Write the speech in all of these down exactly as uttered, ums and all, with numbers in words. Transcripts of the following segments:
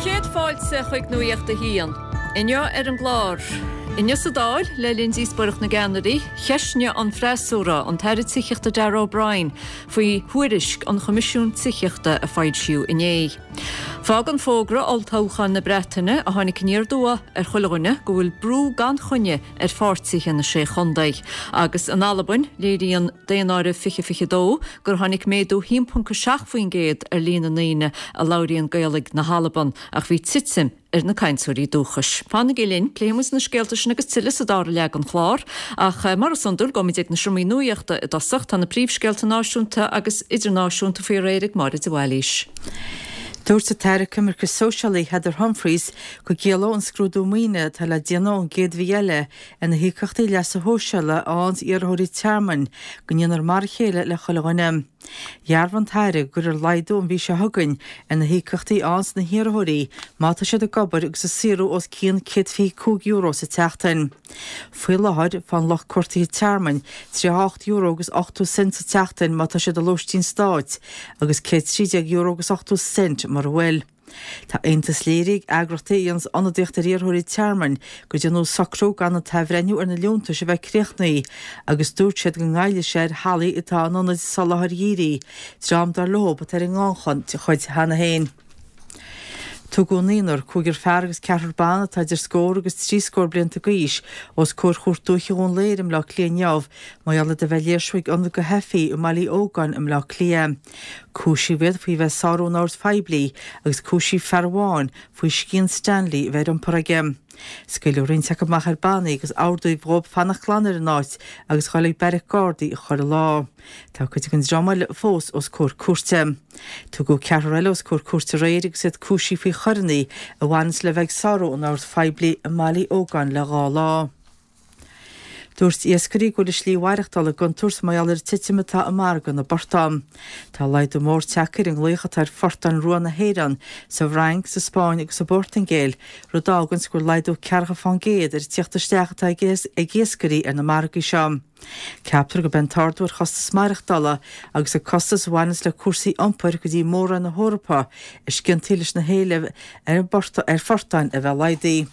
chéad fáilte chuig Nuacht a hAon. Inniu ar an gclár. Inniu sa Dáil le linn díospóireacht na gceannairí, cheistigh an freasúra an tAire Tithíochta Darragh O'Brien faoi thuairisc an Choimisiúin Tithíochta a foilsíodh inné. Fágann fógra olltoghcháin na Breataine a tháinig aniar aduaidh ar chuile dhuine go bhfuil brú gan choinne ar pháirtithe na sé chontae. Agus in Albain léiríonn daonáireamh fiche fiche dó gur tháinig méadú haon ponc a seacht faoin gcéad ar líon na ndaoine a labhraíonn Gaeilge na hAlban ach bhí titim ar na cainteoirí dúchais. Fanaigí linn pléifimid na scéalta sin agus tuilleadh sa dara leath den chlár, ach mar is iondúil gabhfaimid ag na seomraí nuachta i dtosach tá na príomhscéalta náisiúnta agus idirnáisiúnta faoi réir ag Máire de Bhailís. Dúirt an tAire Coimirce Sóisialaí Heather Humphreys go gciallódh an scrúdú maoine atá le déanamh ón gcéad mhí eile ar na híocaíochtaí leasa shóisialaigh a fhaigheann iarrthóirí tearmainn go ndéanfar mar a chéile le chuile dhuine. Dhearbhaigh an tAire go gcuirfear laghdú an mhí seo chugainn ar na híocaíochtaí a fhaigheann na hiarrthóirí má tá siad ag obair agus ag saothrú os cionn céad fiche cúig euro sa tseachtain. Faoi láthair faigheann lucht cuartaithe tearmainn tríocha ocht euro agus ochtó cent sa tseachtain má tá siad i lóistín stáit agus céad trí déag euro agus ochtó cent mura bhfuil. Tá aontas léirithe ag eagraíochtaí a dhéananns ionadaíocht ar iarrthóirí tearmainn go ndearnadh socrú gan an t-athbhreithniú ar na liúntais a bheith críochnaithe agus dúirt siad go ngoillfidh sé ar theaghlaigh atá in ionaid soláthair dhírigh, dream dar leo atá ar an ngannchuid cheana féin. Tugadh naonúr, cúigear fear agus ceathrar ban atá idir scór agus trí scór blianta d'aois os comhair Chúirt Dúiche Dhún Laoghaire i mBleá Cliath inniu mar gheall ar a bheith ag léirsiú ag ionad do theifigh i mBaile Uí Ógáin i mBleá Cliath. Cúisíodh iad faoi bheith ag sárú an oird phoiblí agus cúisíodh fear amháin faoi scian Stanley a bheith ar iompar aige. Scaoileadh roinnt acu amach ar bannaí agus ordaíodh dóibh fanacht glan ar an áit agus dhul ag beairic Gardaí chuile lá. Tá cuid den dream eile fós os comhair cúirte. Tugadh ceathrar eile os comhair cúirte aréir agus iad cúisithe faoi choireanna a bhaineanns le bheith ag sárú an oird phoiblí i mBaile Uí Ógáin le dhá lá. Dúirt iascairí go bhfuil a slí mhaireachtála i gcontúirt mar gheall ar an titim atá i margadh na bportán. Tá laghdú mór tagtha ar an nglaoch atá ar phortáin rua na hÉireann sa bhFrainc, sa Spáinn agus sa bPortaingéil, rud a fháganns go bhfuil laghdú ceathracha fán gcéad ar an tíocht isteach atá ag iascairí ar na margaí seo. Ceaptar gurb é an t-ardú ar chostas maireachtála agus an costas a bhaineanns le cúrsaí iompair go dtí mór-roinn na hEorpa is ciontaí leis na héilimh ar ar phortáin a bheith laghdaithe.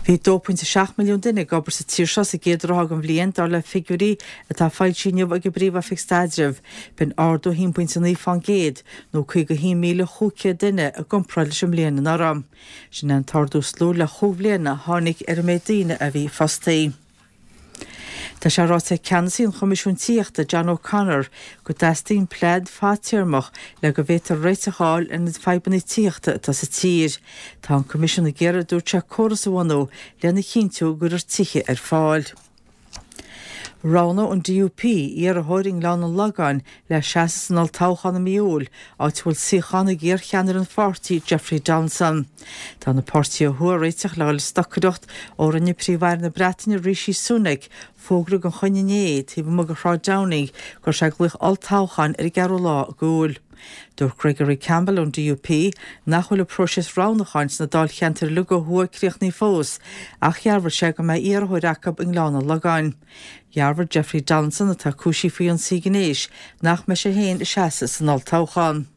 Bhí dó pointe seacht milliún duine ag obair sa tír seo sa gcéad ráithe den bhliain, dar le figiúirí atá foilsithe inniu ag an bPríomh-Oifig Staidrimh. B'in ardú haon pointe naoi fán gcéad, nó caoga haon míle chúig chéad duine i gcomparáid leis an mbliain anuraidh. Sin é an t-ardú is lú le chúig bhliana a tháinig ar an méid daoine a bhí fostaithe. Tá sé ráite ag ceannasaí an Choimisiúin Tithíochta John O'Connor go dteastaíonn plean fadtéarmach le go bhféadfar réiteach a fháil ar na fadhbanna tithíochta atá sa tír. Tá an Coimisiún ag iarraidh dúirt sé córas a bhunú lena chinntiú go gcuirfear tithe ar fáil. Roghnóidh an DUP iarrthóir i nGleann an Lagáin le seasamh san olltoghchán i mí Iúil, áit a bhfuil suíochán ag iarcheannaire an pháirtí Jeffrey Donaldson. Tá na páirtithe ó thuaidh ag réiteach le dhul ag stocaireacht ó rinne Príomh-Aire na Breataine Rishi Sunak fógra gan choinne inné taobh amuigh de Shráid Downing go raibh sé ag glaoch olltoghcháin ar an gceathrú lá d'Iúil. Dúirt Gregory Campbell ón DUP nach bhfuil an próiseas roghnúcháin sna dáilcheantair uilig ó thuaidh críochnaithe fós, ach dhearbhaigh sé go mbeidh iarrthóir acu i nGleann an Lagáin. Dhearbhaigh Jeffrey Donaldson atá cúisithe faoi ionsaí gnéis nach mbeidh sé féin ag seasamh san olltoghchán.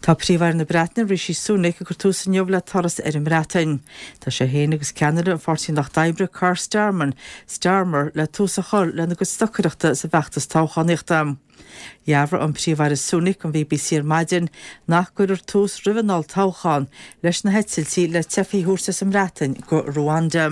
Tá Príomh-Aire na Breataine Rishi Sunak ag cur tús inniu le turas ar an mBreatain. Tá sé féin agus ceannaire an Pháirtí Lucht Oibre Keir Starmer, Starmer le tús a chur lena gcuid stocaireachta sa bhfeachtas toghchánaíochta. Dhearbhaigh an Príomh-Aire Sunak don BBC ar maidin nach gcuirfear tús roimh an olltoghchán leis na heitiltí le teifigh a thabhairt as an mBreatain go Ruanda.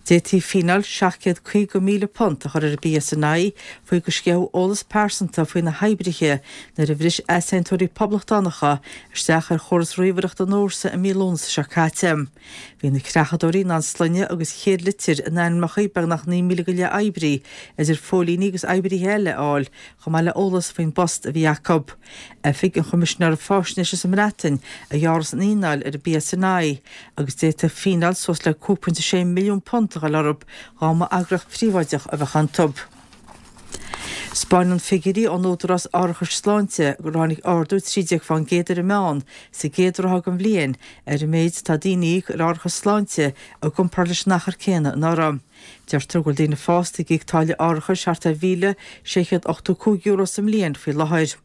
D'fhéadfaí fíneáil seacht gcéad caoga míle punt a chur ar an BSNI faoi gur sceitheadh eolas pearsanta faoi na hoibrithe nuair a bhris easaontóirí poblachtánacha isteach ar chóras ríomhaireachta an fhórsa i mí Lúnasa seo caite. Bhí na creachadóirí in ann sloinne agus chéad litir in ainmneacha beagnach naoi míle go leith oibrí, idir phóilíní agus oibrithe eile, a fháil, chomh maith le eolas faoin bpost a bhí acu. Oifig an Choimisinéara Faisnéise sa mBreatain a ghearrfas an fhíneáil ar an BSNI agus d'fhéadfadh fíneáil suas le cúig pointe sé milliún punt a dhul orthu dá mba eagraíocht phríobháideach a bheadh iontu. Spáineann figiúirí ón Údarás Árachais Sláinte gur tháinig ardú trí déag fán gcéad ar an meán sa gcéad ráithe den bhliain ar an méid atá daoine ag íoc ar árachas sláinte i gcomparáid leis an achar céanna anuraidh. Deirtear go bhfuil daoine fásta ag íoc táille árachais thart ar mhíle sé chéad ochtó cúig euro sa mbliain faoi láthair.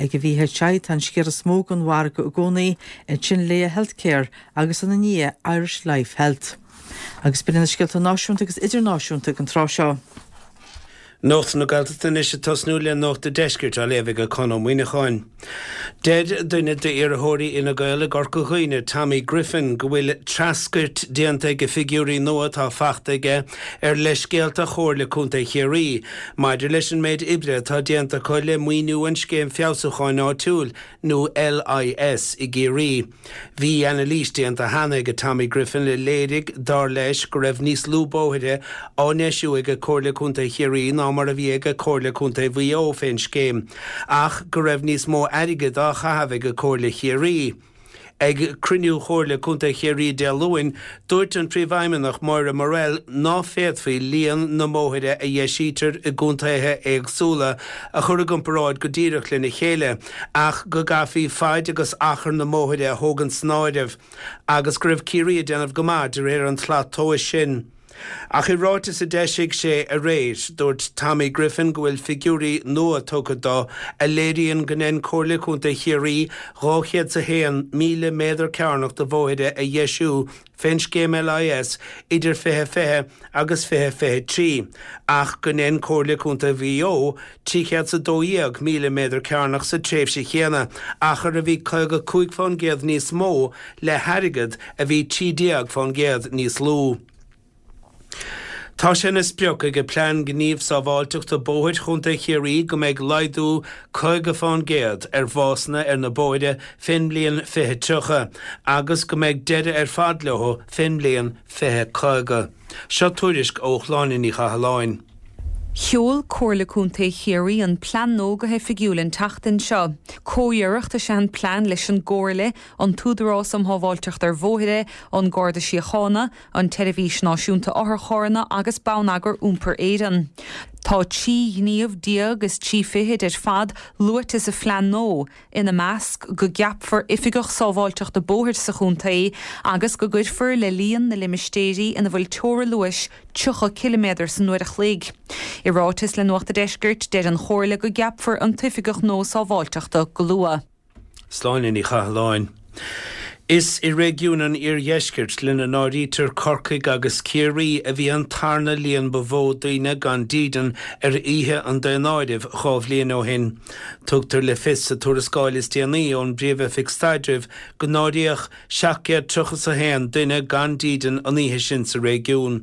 Ag an V H I tá an sciar is mó den mhargadh i gcónaí, ansin Laya Healthcare agus ina ndiaidh Irish Life Health. Agus b'in na scéalta náisiúnta agus idirnáisiúnta ag an tráth seo. Nuacht na Gaeltachta anois ag tosnú le Nuacht an Deiscirt á léamh ag Conn Ó Muíneacháin. Deir duine d'iarrthóirí Fhine Gael i gCorca Dhuibhne, Tommy Griffin, go bhfuil treascairt déanta ag figiúirí nua atá faighte aige ar leithscéalta Chomhairle Contae Chiarraí, maidir leis an méid oibre atá déanta acu le maoiniú an scéim feabhsúcháin áitiúil nó L I S i gCiarraí. Bhí anailís déanta cheana ag Tommy Griffin a léirigh dar leis go raibh níos lú bóithre á ndeisiú ag Comhairle Contae Chiarraí ná mar a bhí ag Comhairle Contae Mhaigh Eo fén scéim, ach go raibh níos mó airgid á chaitheamh ag Comhairle Chiarraí. Ag cruinniú Chomhairle Contae Chiarraí Dé Luain, dúirt an príomhfheidhmeannach Moira Morrell ná féadfaí líon na mbóithre a dheisítear i gcontaetha éagsúla a chur i gcomparáid go díreach lena chéile, ach go gcaithfí fad agus achar na mbóithre a thógaint san áireamh, agus go raibh Ciarraí ag déanamh go maith de réir an tslat tomhais sin. Ach i ráiteas a d'eisigh sé aréir, dúirt Tommy Griffin go bhfuil figiúirí nua tugtha dó a léiríonn go ndein Comhairle Contae Chiarraí dhá chéad a haon míle méadar cearnach de bhóithre a dheisiú fén scéim L I S idir fiche fiche agus fiche fiche trí, ach go ndein Comhairle Contae Mhaigh Eo trí chéad a dó dhéag míle méadar cearnach sa tréimhse chéanna, achar a bhí caoga cúig fán gcéad níos mó le hairgead a bhí trí déag fán gcéad níos lú. Tá sé ina sprioc ag plean gníomh sábháilteachta bóthair Chontae Chiarraí go mbeidh laghdú caoga fán gcéad ar bhásanna ar na bóithre fén mbliain fiche tríocha agus go mbeidh deireadh ar fad leo fén mbliain fiche caoga. Seo tuairisc ó Shláine Ní Chathalláin. Sheol Comhairle Contae Chiarraí an plean nua go hoifigiúil an tseachtain seo. Comhiarracht is ea an plean leis an gComhairle, an tÚdarás um Shábháilteacht ar Bhóithre, an Garda Síochána, an tSeirbhís Náisiúnta Otharcharranna agus Bonneagar Iompair Éireann. Tá trí ghníomh déag is trí fichid ar fad luaite sa phlean nua, ina measc go gceapfar oifigeach sábháilteachta bóthair sa chontae agus go gcuirfear le líon na limistéirí ina bhfuil teorainn luais tríocha ciliméadar san uair a chloig. I ráiteas le Nuacht an Deiscirt, deir an Chomhairle go gceapfar an t-oifigeach nua sábháilteachta go luath. Sláine Ní Chathalláin. Is i réigiún an Iardheiscirt, lena n-áirítear Corcaigh agus Ciarraí, a bhí an tarna líon ba mhó daoine gan dídean ar oíche an daonáirimh dhá bhliain ó shin. Tugtar le fios sa tuarascáil is déanaí ón bPríomh-Oifig Staidrimh go n-áiríodh seacht gcéad tríocha a haon duine gan dídean an oíche sin sa réigiún.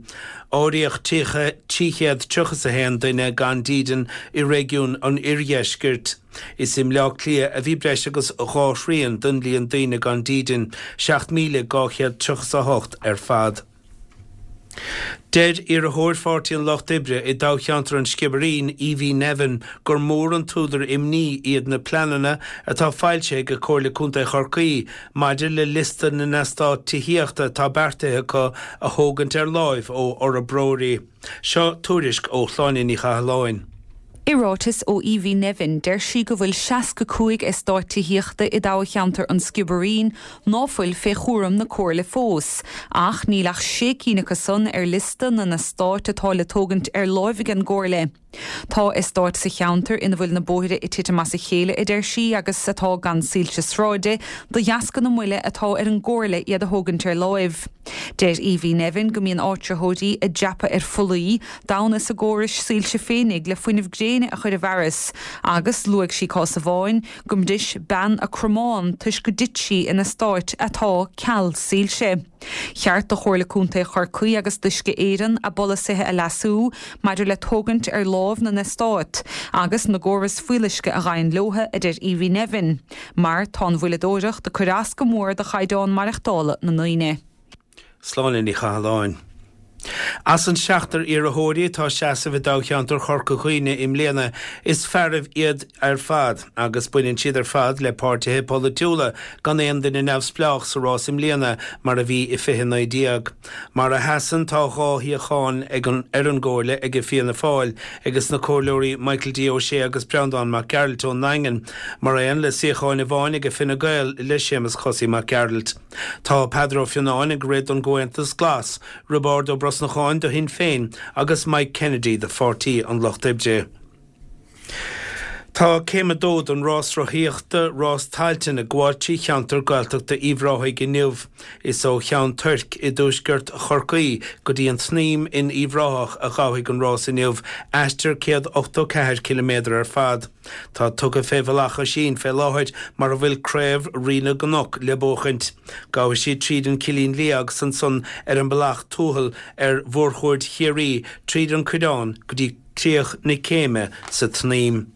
Áiríodh trí chéad tríocha a haon duine gan dídean i réigiún an Oirdheiscirt. Is i mBleá Cliath a bhí breis agus dhá thrian den líon daoine gan dídean, seacht míle dhá chéad tríocha a hocht ar fad. Deir iarrthóir Pháirtí an Lucht Oibre i dtoghcheantar an Sciobairín, Evie Nevin, gur mór an t-údar imní iad na pleananna atá foilsithe ag Comhairle Contae Chorcaí maidir le liosta na n-eastát tithíochta atá beartaithe acu a thógaint ar láimh ó fhorbróirí. Seo tuairisc ó Shláine Ní Chathalláin. I ráiteas ó Evie Nevin, deir sí go bhfuil seasca cúig eastát tithíochta i dtoghcheantar an Sciobairín ná fuil fé chúram na comhairle fós, ach níl ach sé cinn acu san ar liosta na n-eastát atá le tógaint ar láimh ag an gcomhairle. Tá eastáit sa cheantar ina bhfuil na bóithre ag titim as a chéile, a deir sí, agus atá gan soilse sráide de dheasca na moille atá ar an gcomhairle iad a thógaint ar láimh. Deir Evie Nevin go mbíonn áitritheoirí ag dreapadh ar phollaí d'fhonn a gcórais soilse féinig le fuinneamh gréine a chur i bhfearas, agus luaigh sí cás amháin go mbris bean a cromán toisc go dtit sí in eastát atá ceal soilse. Cheart do Chomhairle Contae Chorcaí agus d'Uisce Éireann a bpolasaithe a leasú maidir le tógaint ar láimh na n-eastát agus na gcóras fuíolluisce a ghabhann leo, a deir Evie Nevin, mar tá an mhoilleadóireacht ag cur as go mór do chaighdeán maireachtála na ndaoine. Sláine Ní Chathalláin. As an seachtar iarrthóirí atá ag seasamh i dtoghcheantar Chorca Dhuibhne i mbliana, is fearaibh iad ar fad agus baineann siad ar fad le páirtithe polaitiúla, gan aon duine neamhspleách sa rás i mbliana mar a bhí i fiche naoi déag. Mar a sheasann tá dhá shuíochán ag an ar an gComhairle ag Fianna Fáil agus na Comhairleoirí Michael D Ó Sé agus Breandán Mac Gearailt ón nDaingean, mar aon le suíochán amháin ag Fine Gael le Séamus Chosaí Mac Gearailt. Tá Peadar Ó Fionnáin ag rith don gComhaontas Glas, Roibeárd Ó Brosnacháin do Shinn Féin agus Mike Kennedy do Pháirtí an Lucht Oibre. Tá céim a dó den rás rothaíochta Rás Tailteann ag gabháil trí cheantar Gaeltachta Uíbh Ráthaigh inniu. Is ó Cheann Toirc i dtuaisceart Chorcaí go dtí an tSnaidhm in Uíbh Ráthach a ghabhfaidh an rás inniu, aistear céad ochtó ceathair ciliméadar ar fad. Tá tugtha fé Bhealach Oisín fé láthair mar a bhfuil Craobh Rí na gCnoc le buachaint. Gabhfaidh siad tríd an Cillín Liath agus ansan ar an Bealach Tuathail ar Mhórchuaird Chiarraí tríd an Coireán go dtí críoch na céime sa tSnaidhm.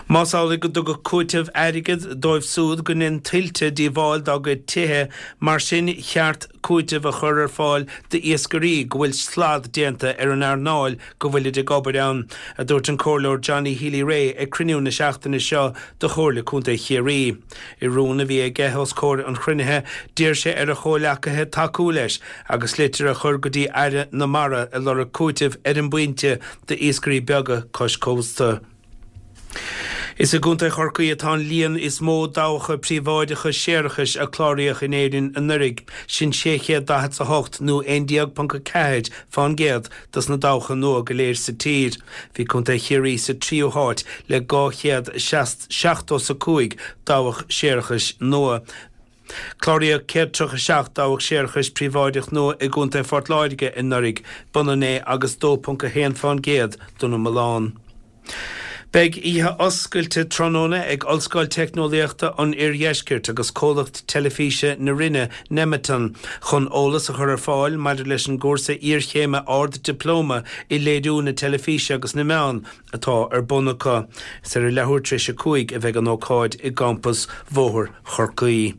Más amhlaidh go dtugadh cúiteamh airgid dóibh súd go ndein tuilte díobháil dá gcuid tithe, mar sin cheart cúiteamh a chur ar fáil d'iascairí go bhfuil slad déanta ar an earnáil go bhfuilid ag obair ann, a dúirt an Comhairleoir Johnny Healy-Rae ag cruinniú na seachtaine seo de Chomhairle Contae Chiarraí. I rún a bhí aige os comhair an chruinnithe, d'iarr sé ar a chomhleacaithe tacú leis agus litir a chur go dtí Aire na Mara ag lorg cúitimh ar an bpointe d'iascairí beaga cois cósta. Is i gContae Chorcaí atá an líon is mó dabhacha príobháideacha séarachais a cláraíodh in Éirinn anuraidh, sin sé chéad daichead a hocht nó aon déag ponc a ceathair fán gcéad dos na dabhacha nua go léir sa tír. Bhí Contae Chiarraí sa tríú háit le dhá chéad seachtó is a cúig dabhach séarachais nua. Cláraíodh céad tríocha seacht dabhach séarachais príobháideach nua i gContae Phort Láirge anuraidh, b'ionann é agus dó ponc a haon fán gcéad den iomlán. Beidh oíche oscailte tráthnóna ag Ollscoil Teicneolaíochta an Oirdheiscirt agus comhlacht teilifíse na Rinne, Nemeton, chun eolas a chur ar fáil maidir leis an gcúrsa iarchéime Ard-Dioplóma i Léiriú na Teilifíse agus na Meán atá ar bun acu. Is ar a leathuair tar éis a cúig a bheidh an ócáid i gcampas Bhóthar Chorcaí.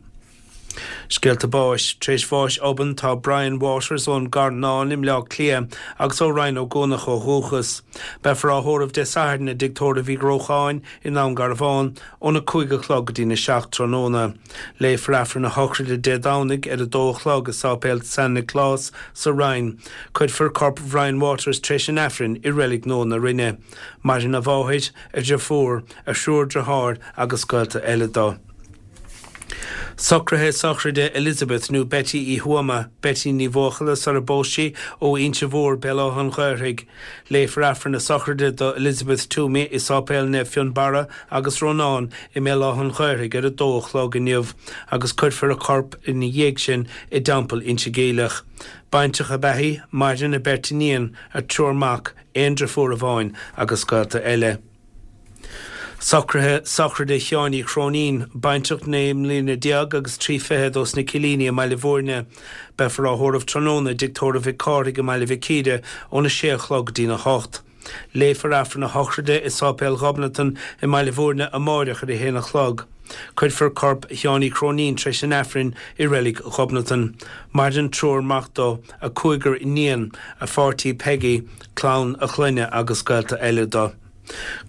Scéalta báis. Tar éis bháis obann tá Brian Waters ón gCarnán i mBleá Cliath agus ó Rinn Ó gCuanach ó dhúchas. Beifear á thórramh Dé Sathairn i dTigh Tórraimh Uí Ghrócháin i nDún Garbhán óna cúig a chlog go dtína seacht tráthnóna. Léifear Aifreann a shochraide Dé Domhnaigh ar a dó a chlog i Sáipéal San Nioclás sa Rinn. Cuirfear corp Bhrian Waters tar éis an Aifrinn i Reilig Nua na Rinne. Maireann a mháthair, a dhriofúr, a thriúr driotháir agus gaolta eile dó. Socruithe sochraide Elizabeth nó Betty Uí Thuama, Betty Ní Bhuachalla sara bpós sí, ó Inse Mhór, Béal Átha an Ghaorthaidh. Léifear Aifreann a sochraide do Elizabeth Toomey i Sáipéal Naomh Fionnbarra agus Rónán i mBéal Átha an Ghaorthaidh ar a dó a chlog inniu agus cuirfear a corp ina dhiaidh sin i dTeampall Inse Geimhleach. Baintreach ab ea í, maireann a beirt iníon, a triúr mac, aon driofúr amháin agus gaolta eile. Socruithe sochraide Sheáin Uí Chróinín, baintreach naoi mbliana déag agus trí fichid ós na Cillíní i mBaile Bhúirne. Beifear á thórramh tráthnóna i dTigh Tórraimh Mhic Cárthaigh i mBaile Mhic Íre óna sé a chlog go dtína hocht. Léifear Aifreann a shochraide i Sáipéal Ghobnatan i mBaile Bhúirne amáireach ar a haon a chlog. Cuirfear corp Sheáin Uí Chróinín tar éis an Aifrinn i Reilig Ghobnatan. Maireann triúr mac dó, a cúigear iníon, a pháirtí Peggy, clann a chlainne agus gaolta eile dó.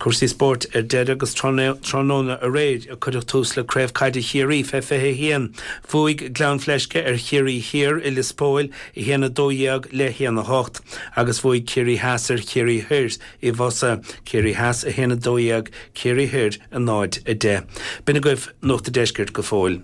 Cúrsaí spóirt ar deireadh agus tráthnóna aréir a cuireadh tús le Craobh Caide Chiarraí fé fiche a haon. Bhuaigh Gleann Fleisce ar Chiarraí Thiar i Lios Póil, a haon a dó dhéag le haon a hocht, agus bhuaigh Ciarraí Theas ar Chiarraí Thoir i bhFosa, Ciarraí Theas a haon a dó dhéag, Ciarraí Thoir a náid a deich. B'in agaibh Nuacht an Deiscirt go fóill.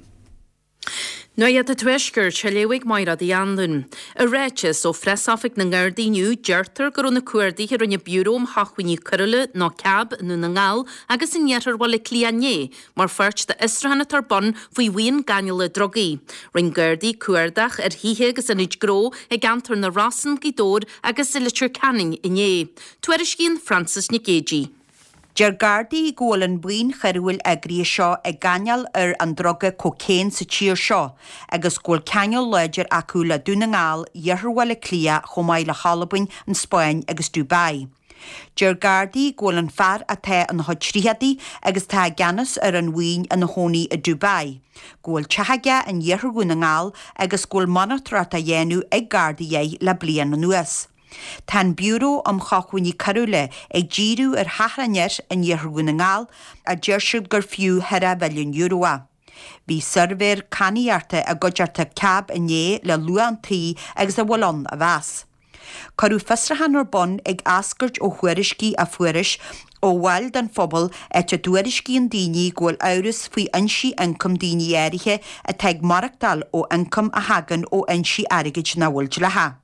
Nuacht an Tuaiscirt, á léamh ag Máiréad Uí Anluain. I ráiteas ó Phreasoifig na nGardaí inniu, deirtear go raibh na cuardaithe a rinne Biúró um Shócmhainní Coiriúla nó cab i nDún na nGall agus in iarthar Bhaile Átha Cliath inné mar pháirt d'fhiosrúchán atá ar bun faoi bhuíon gáinneála drugaí. Rinne Gardaí cuardach ar thithe agus ionaid gnó i gceantar na Rosann, Gaoth Dobhair agus i Leitir Ceanainn inné. Tuairiscíonn Frances Nic Géadaigh. Deir Gardaí go bhfuil an bhuíon choiriúil eagraithe seo ag gáinneáil ar an druga cocaine sa tír seo agus go bhfuil ceangal láidir acu le Dún na nGall, Iarthar Bhaile Átha Cliath chomh maith le hAlbain, an Spáinn agus Dubai. Deir Gardaí go bhfuil an fear atá ina chuid tríochaidí agus atá i gceannas ar an bhuíon ina chónaí i Dubai, go bhfuil teach aige in iarthar Dhún na nGall agus go bhfuil monatóireacht á dhéanamh ag Gardaí air le bliain anuas. Tá an Biúró um Shócmhainní Coiriúla ag díriú ar theach an fhir in iarthar Dhún na nGall a deir siad gur fiú ceithre mhilliún euro é. Bhí suirbhéir cadhnaíochta i gcuideachta CAB inné le luach an tí agus a bhfuil ann a mheas. Cuireadh fiosrúchán ar bun ag eascairt ó thuairiscí a fuarthas ó bhaill den phobal áit a dtuairiscíonn daoine go bhfuil amhras faoi fhoinsí ioncaim daoine áirithe atá ag maireachtáil ó ioncam a thagann ó fhoinsí airgid nach bhfuil dleathach.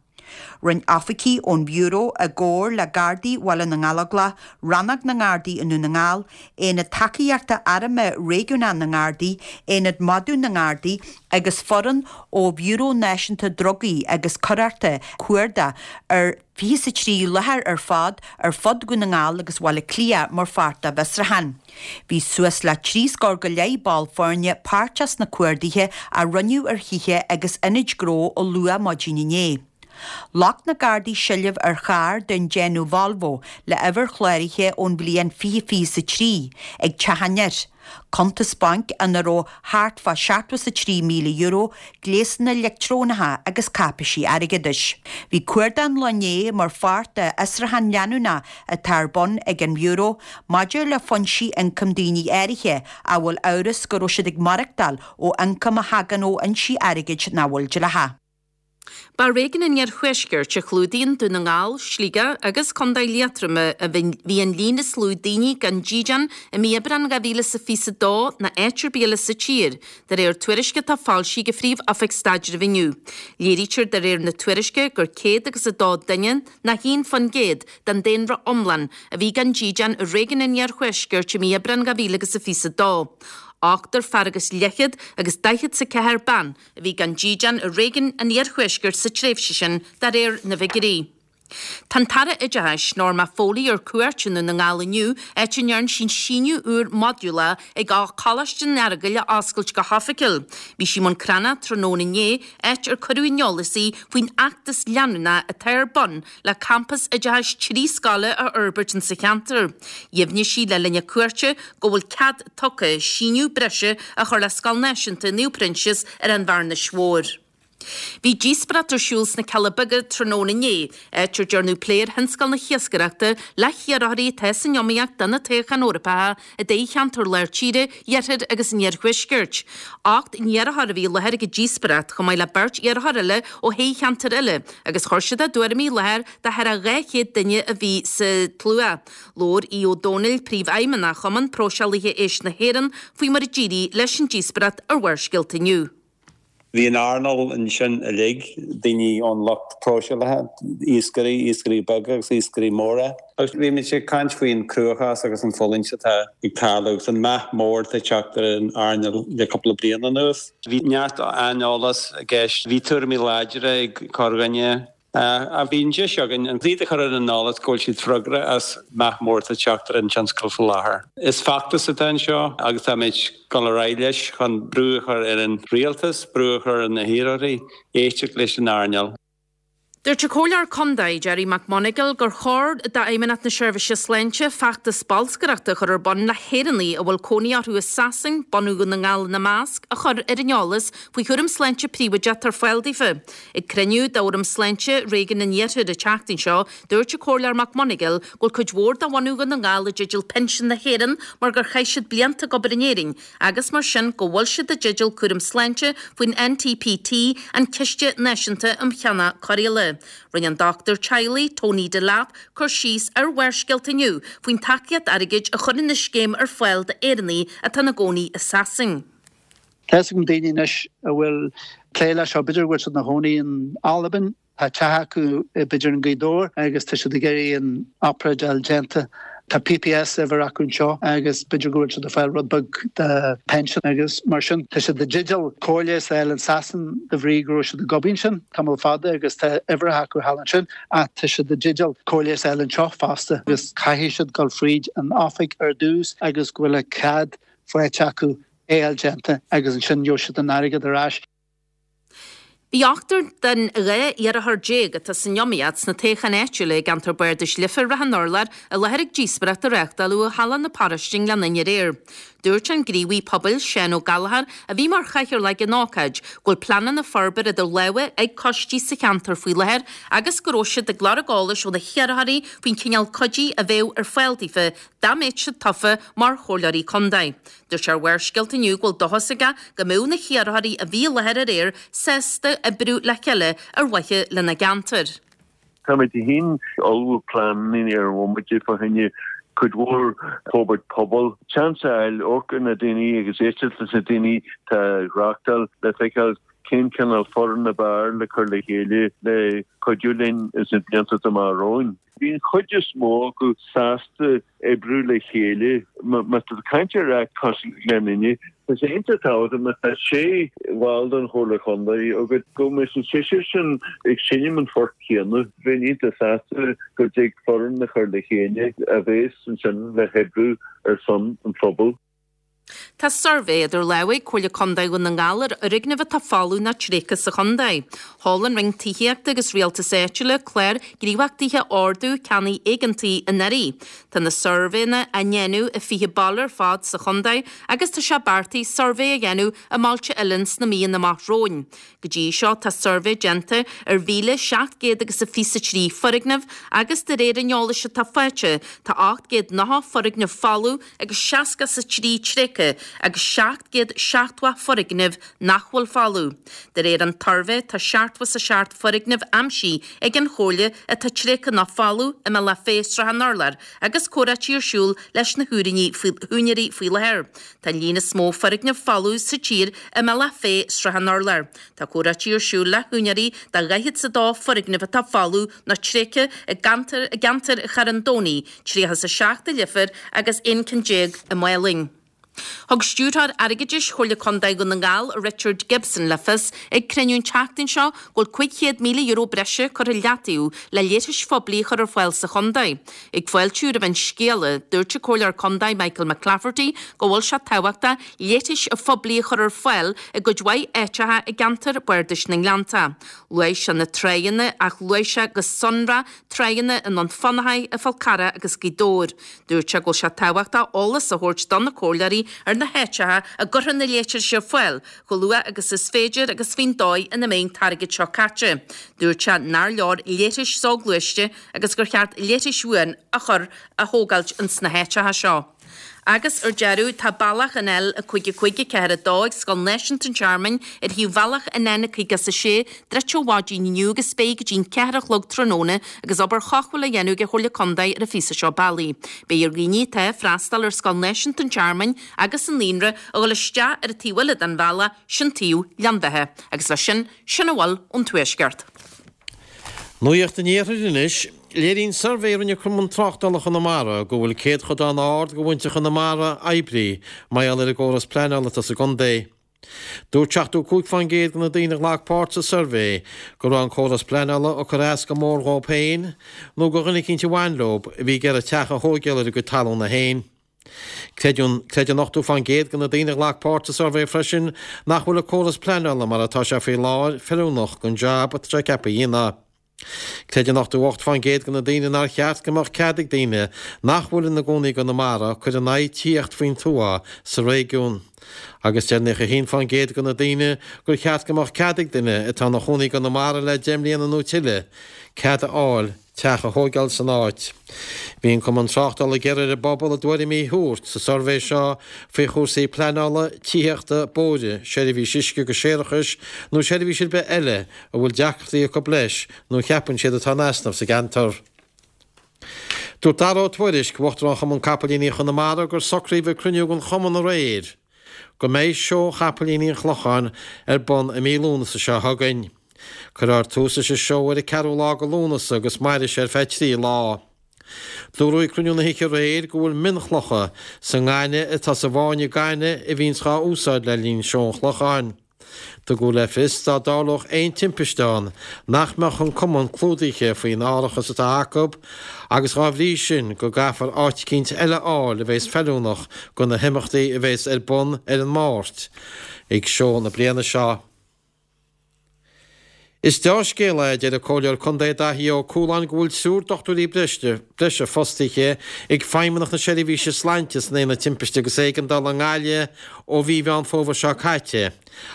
Rinne oifigigh ón Bhiúró i gcomhar le Gardaí Bhaile na nGallóglach, Rannóg na nGardaí i nDún na nGall, Aonad Tacaíochta Airmthe Réigiúnach na nGardaí, Aonad Madadh na nGardaí agus foireann ó Bhiúró Náisiúnta Drugaí agus Coireachta cuardach ar fiche is a trí láthair ar fad ar fud Dhún na nGall agus Bhaile Átha Cliath mar pháirt dá bhfiosrúchán. Bhí suas le trí scór go leith ball foirne páirteach sna cuarduithe a rinneadh ar thithe agus ionaid gnó ó luath maidin inné. Ghlac na Gardaí seilbh ar charr den déanamh Volvo le uimhir chláraithe ón bhliain fiche fiche is a trí ag teach an fhir, cuntas bainc ina raibh thart fá seachtó is a trí míle euro, gléasanna leictreonacha agus cáipéisí airgeadais. Bhí cuardach an lae inné mar pháirt de fhiosrúchán leanúnach atá ar bun ag an mBiúró maidir le foinsí ioncaim daoine áirithe a bhfuil amhras go raibh siad ag maireachtáil ó ioncam a thagann ó fhoinsí airgid nach bhfuil dleathach. Ba i réigiún an Iarthuaiscirt a chlúdaíonn Dún na nGall, Sligeach agus Contae Liatroma a bhí an líon is lú daoine gan dídean i mí Aibreáin dhá mhíle is a fiche a dó ná áit ar bith eile sa tír, de réir tuairisce atá foilsithe ag Phríomh-Oifig Staidrimh inniu. Léirítear de réir na tuairisce gur céad agus a dó duine, nó haon faoin gcéad den daonra iomlán, a bhí gan dídean i réigiún an Iarthuaiscirt i mí Aibreáin dhá mhíle agus a fiche a dó. Ochtar fear agus leathchéad agus daichead is a ceathair bean a bhí gan dídean i réigiún an Iarthuaiscirt sa tréimhse sin, de réir na bhfigiúirí. Tá an tAire Oideachais, Norma Foley ar cuairt i nDún na nGall inniu, áit a ndearna sí síneadh úr modúlach ag Coláiste an Earagail a oscailt go hoifigiúil. Bhí sí i mBun Cranncha tráthnóna inné, áit ar cuireadh ar an eolas í faoin fheachtas leanúnach atá ar bun le campas oideachais trí scoile a fhorbairt insa cheantar. Dheimhnigh sí le linn a cuairte go bhfuil cead tugtha síneadh breise a chur le Scoil Náisiúnta Naomh Proinsias ar an Bhearnais Mhór. Bhí díospóireacht ar siúl sna Cealla Beaga tráthnóna inné, áit ar dearnadh plé ar thionscal na hiascaireachta le hiarrthóirí atá san iomaíocht do na toghcháin Eorpacha i dtoghcheantair Lár Tíre, Iarthair agus an Iarthuaiscirt. Ocht n-iarrthóir a bhí i láthair ag an díospóireacht, chomh maith le beirt iarrthóir eile ó thoghcheantair eile, agus chuir siad a dtuairimí i láthair do thar a dhá chéad duine a bhí sa tslua. Labhair Aodh Ó Domhnaill, Príomhfheidhmeannach Chumann Próiseálaithe Éisc na hÉireann, faoi mar a d'éirigh leis an díospóireacht ar Bharrscéalta inniu. Bhí an earnáil ansin uilig, daoine ón lucht próiseálaithe, iascairí, iascairí beaga agus iascairí móra. Agus bhí muid ag caint faoin cruachás agus an fulaingt atá ag tarlú agus an meath mór atá ag teacht ar an earnáil le cúpla bliain anuas. Bhí neart aineolas i gceist, bhí tuairimí láidre ag corrdhuine. Ach bhí an deis againn iad a chur ar an eolas go bhfuil siad freagrach as meath mór atá ag teacht ar an tionscal faoi láthair. Is feachtas atá anseo agus táimid ag dul ar aghaidh leis chun brú a chur ar an rialtas, brú a chur ar na hiarrthóirí, éisteacht leis an earnáil. Dúirt an Comhairleoir Contae, Gerry McMonagall, gur chóir d'Fheidhmeannacht na Seirbhíse Sláinte feachtas bolscaireachta a chur ar bun le hÉireannaigh a bhfuil cónaí orthu i Sasain, bunadh Dhún na nGall ina measc, a chur ar an eolas faoi chúram sláinte príobháideach atá ar fáil daofa. Ag cruinniú d'Fhóram Sláinte Réigiún an Iarthair an tseachtain seo, dúirt an Comhairleoir McMonagall go bhfuil cuid mhór de bhunadh Dhún na nGall i dteideal pinsean na hÉireann mar gur chaith siad blianta ag obair in Éirinn agus mar sin go bhfuil siad i dteideal cúram sláinte faoin N T P T, an Ciste Náisiúnta um Cheannach Cóireála. Rinne an dochtúir teaghlaigh, Tony Delap, cur síos ar Bharrscéalta inniu faoin tacaíocht airgid a chuireann an scéim ar fáil d'Éireannaigh atá ina gcónaí i Sasain. Tá fhios agam daoine anois a bhfuil plé leis seo, b'fhéidir go bhfuil siad ina chónaí in Albain, tá teach acu b'fhéidir in Gaoth Dobhair agus tá siad ag iarraidh an obráid a fháil déanta. Tá P P S uimhir acu anseo agus b'fhéidir go bhfuil siad ag fáil rud beag de pension agus mar sin tá siad i dteideal cóir leighis a fháil in Sasain de bhrí go raibh siad ag obair ansin tamall fada agus tá uimhreacha acu thall ansin ach tá siad i dteideal cóir leighis a fháil anseo fosta agus caithfidh siad dul fríd an oifig ar dtús agus go bhfuil a cead faighte acu é a fháil déanta agus ansin gheobhaidh siad an airgead ar ais. Bhí ochtar den dhá iarrthóir déag atá san iomaíocht sna toghcháin áitiúla i gceantar Bardais Leifear Ráth an Urláir i láthair ag díospóireacht a reáchtáladh i Halla na Paróiste i nGleann Fhinne aréir. Dúirt an gníomhaí pobail Seán Ó Gallchóir, a bhí mar chathaoirleach ag an ócáid, go bhfuil pleananna forbartha idir lámha ag coistí sa cheantar faoi láthair agus go raibh siad ag lorg eolais ó na hiarrthóirí faoin chineál cuidí a bheadh ar fáil daofa dá mbeadh siad tofa mar chomhairleoirí contae. Dúirt sé ar Bharrscéalta inniu go bhfuil dóchas aige go mbeadh na hiarrthóirí a bhí i láthair aréir sásta oibriú le chéile ar mhaithe lena gceantar. Táimid féin ag ullmhú pleananna ar an bhomaite fá choinne cuid mhór forbairt pobail, seans a fháil amharc ar na daoine agus éisteacht leis na daoine atá ag reáchtáil le feiceáil cén cineál foireann ab fhearr le cur le chéile le cuidiú linn sna blianta atá amach romhainn. Bhí an chuid is mó acu sásta oibriú le chéile. Má tá tú ag caint ar áit cosúil le Gleann Fhinne, tá sé iontach tábhachtach má tá sé bhall den Chomhairle Chontae agat go mbeidh an seisear sin ag seinm an phoirt chéanna. Bheinn iontach sásta go dtig foireann a chur le chéile a bheas ansin le hoibriú ar son an phobail. Tá suirbhé idir lámha ag Comhairle Contae Dhún na nGall ar fhoirgnimh atá folamh nó tréigthe sa chontae. Sheol an Roinn Tithíochta agus Rialtais Áitiúla clár gníomhachtaithe Ordú Ceannaigh Éigeantaigh anuraidh. Tá na suirbhéanna á ndéanamh i fiche baile ar fad sa chontae agus tá sé beartaithe suirbhé a dhéanamh i mbailte eile sna míonna amach romhainn. Go dtí seo tá suirbhé déanta ar mhíle seacht gcéad agus a fiche a trí foirgneamh agus de réir an eolais atá faighte tá ocht gcéad nócha foirgneamh folamh agus seasca is a trí tréigthe agus seacht gcéad seachtó foirgneamh nach bhfuil folamh. De réir an tsuirbhé tá seachtó is a seacht foirgneamh aimsithe ag an Chomhairle atá tréigthe nó folamh i mBealach Féich Srath an Urláir agus comhráití ar siúl leis na húinéirí faoi láthair. Tá an líon is mó foirgneamh folamh sa tír i mBealach Féich Srath an Urláir. Tá comhráití ar siúl le húinéirí de dhaichead is a dó foirgneamh atá folamh nó tréigthe i gceantar i gceantar Charn Domhnaigh, tríocha is a seacht i Leifear agus aon ceann déag i Málainn. Thug Stiúrthóir Airgeadais Chomhairle Contae Dhún na nGall, Richard Gibson, le fios ag cruinniú an tseachtain seo go bhfuil cúig chéad míle euro breise curtha i leataobh le leithris phoiblí a chur ar fáil sa chontae. Ag fáiltiú roimh an scéala, dúirt an Comhairleoir Contae Michael McClafferty go bhfuil sé tábhachtach leithris phoiblí a chur ar fáil i gcuid mhaith áiteacha i gceantar Bardais na nGleannta. Luaigh sé na tráigheanna ach luaigh sé go sonrach tráigheanna i nDún Fionnachaidh, i Fál Carrach agus Gaoth Dobhair. Dúirt sé go bhfuil sé tábhachtach eolas a thabhairt do na comhairleoirí ar na háiteacha a gcuirfear na leithris ar fáil chomh luath agus is féidir agus faoin dóigh ina mbeidh an t-airgead seo caite. Dúirt sé nár leor leithris soghluaiste agus gur cheart leithris bhuan a chur a thógáilt ins na háiteacha seo. Agus ar deireadh, tá bealach an L a cúig a cúig a ceathair a dó ag Scoil Náisiúnta an Tearmainn ar thaobh bhealach an N caoga is a sé druidte ó mhaidin inniu agus beidh go dtí'n ceathair a chlog tráthnóna agus obair chothabhála á dhéanamh ag an Chomhairle Contae ar an phíosa seo bealaigh. Beidh ar dhaoine atá ag freastal ar Scoil Náisiúnta an Tearmainn agus an Naíonra a dhul isteach ar an taobh eile den bhealach, sin taobh Ghleann Bheatha. Agus leis sin, sin a bhfuil ón Tuaisceart. Nuacht an Iarthair anois. Léiríonn suirbhé a rinne Cumann Tráchtála Chonamara go bhfuil céadchodán ard de mhuintir Chonamara oibrithe mar gheall ar an gcóras pleanála atá sa gcontae. Dúirt seachtó cúig faoin gcéad de na daoine a ghlac páirt sa suirbhé go raibh an córas pleanála ag cur as go mór dhóibh féin nó do dhuine eicínt a bhain leo a bhí ag iarraidh teach a thóigeáil ar a gcuid talúna féin. Creideann creideann ochtó faoin gcéad de na daoine a ghlac páirt sa suirbhé freisin nach bhfuil an córas pleanála mar atá sé faoi láthair feiliúnach don jab atá sé ceaptha a dhéanamh. Creideann ochtó ocht faoin gcéad de na daoine nár cheart go mbeadh cead ag daoine nach bhfuil ina gcónaí i gConamara cur in aghaidh tithíocht faoin tuath sa réigiún. Agus deir naocha a haon faoin gcéad de na daoine gur cheart go mbeadh cead ag duine atá ina chónaí i gConamara le deich mbliana nó tuilleadh cead a fháil teach a thóigeáil san áit. Bhí an Cumann Tráchtála ag iarraidh ar an bpobal a dtuairimí a thabhairt sa suirbhé seo faoi chúrsaí pleanála, tithíochta, bóithre, seirbhís uisce agus séarachais nó seirbhís ar bith eile a bhfuil deacrachtaí acu leis nó a cheapann siad atá in easnamh sa gceantar. Dúirt Dara Ó Tuairisg, Uachtarán Chumann Capaillíní Chonamara gur socraíodh ag cruinniú den chumann aréir go mbeidh Seó Chapaillíní an Chlocháin ar bun i mí Lúnasa seo chugainn. Cuirfear tús leis an seó ar an ceathrú lá de Lúnasa agus mairfidh sé ar feadh trí lá. Dúradh ag cruinniú na hoíche aréir go bhfuil mionchlocha sa ngaineamh atá sa bhfáinne gainimh a bhíonns dhá úsáid le linn Seó an Chlocháin. Tugadh le fios dá dtarlódh aon timpiste ann nach mbeadh an cumann clúdaithe faoin árachas atá acu agus dhá bhrí sin go gcaithfear áit eicínt eile a fháil a bheas feiliúnach do na himeachtaí a bheas ar bun ar an Máirt ag seó na bliana seo. Is dea-scéal é, a deir an Comhairleoir Contae Daithí Ó Cualáin go bhfuil triúr dochtúirí breise fostaithe ag Feidhmeannacht na Seirbhíse Sláinte san Aonad Timpiste agus Éigeandála i nGaillimh ó mhí Mheán Fómhair seo caite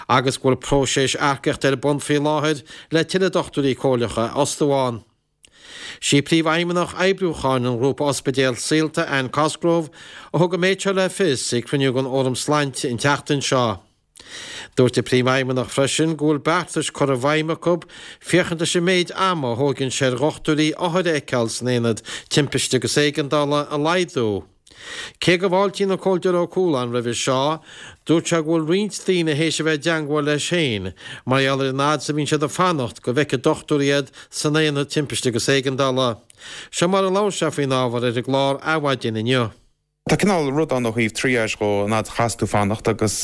agus go bhfuil próiseas earcaíochta ar bun faoi láthair le tuilleadh dochtúirí comhairleacha a fhostú ann. Sí Príomhfheidhmeannach Oibriúcháin an Ghrúpa Ospidéal Saolta, Anne Cosgrove, a thug an méid seo le fios ag cruinniú den Fhóram Sláinte an tseachtain seo. Dúirt an Príomhfheidhmeannach freisin go bhfuil beartais curtha i bhfeidhm acu féachaint leis an méid ama a thógann sé ar dhochtúirí othair a fheiceáil san aonad timpiste agus éigeandála a laghdú. Cé go bhfáiltíonn an Comhairleoir Ó Cualáin roimhe seo, dúirt sé go bhfuil roinnt daoine théis a bheith i dteangmháil leis féin mar gheall ar an fhad is a bhíonn siad ag fanacht go bhfeicfidh dochtúir iad san aonad timpiste agus éigeandála. Seo mar a labhair sé faoin ábhar ar an gclár Adhmhaidin inniu. Tá cineál rud ann ó thaobh triage dhó, an fhad a chaitheas tú fanacht agus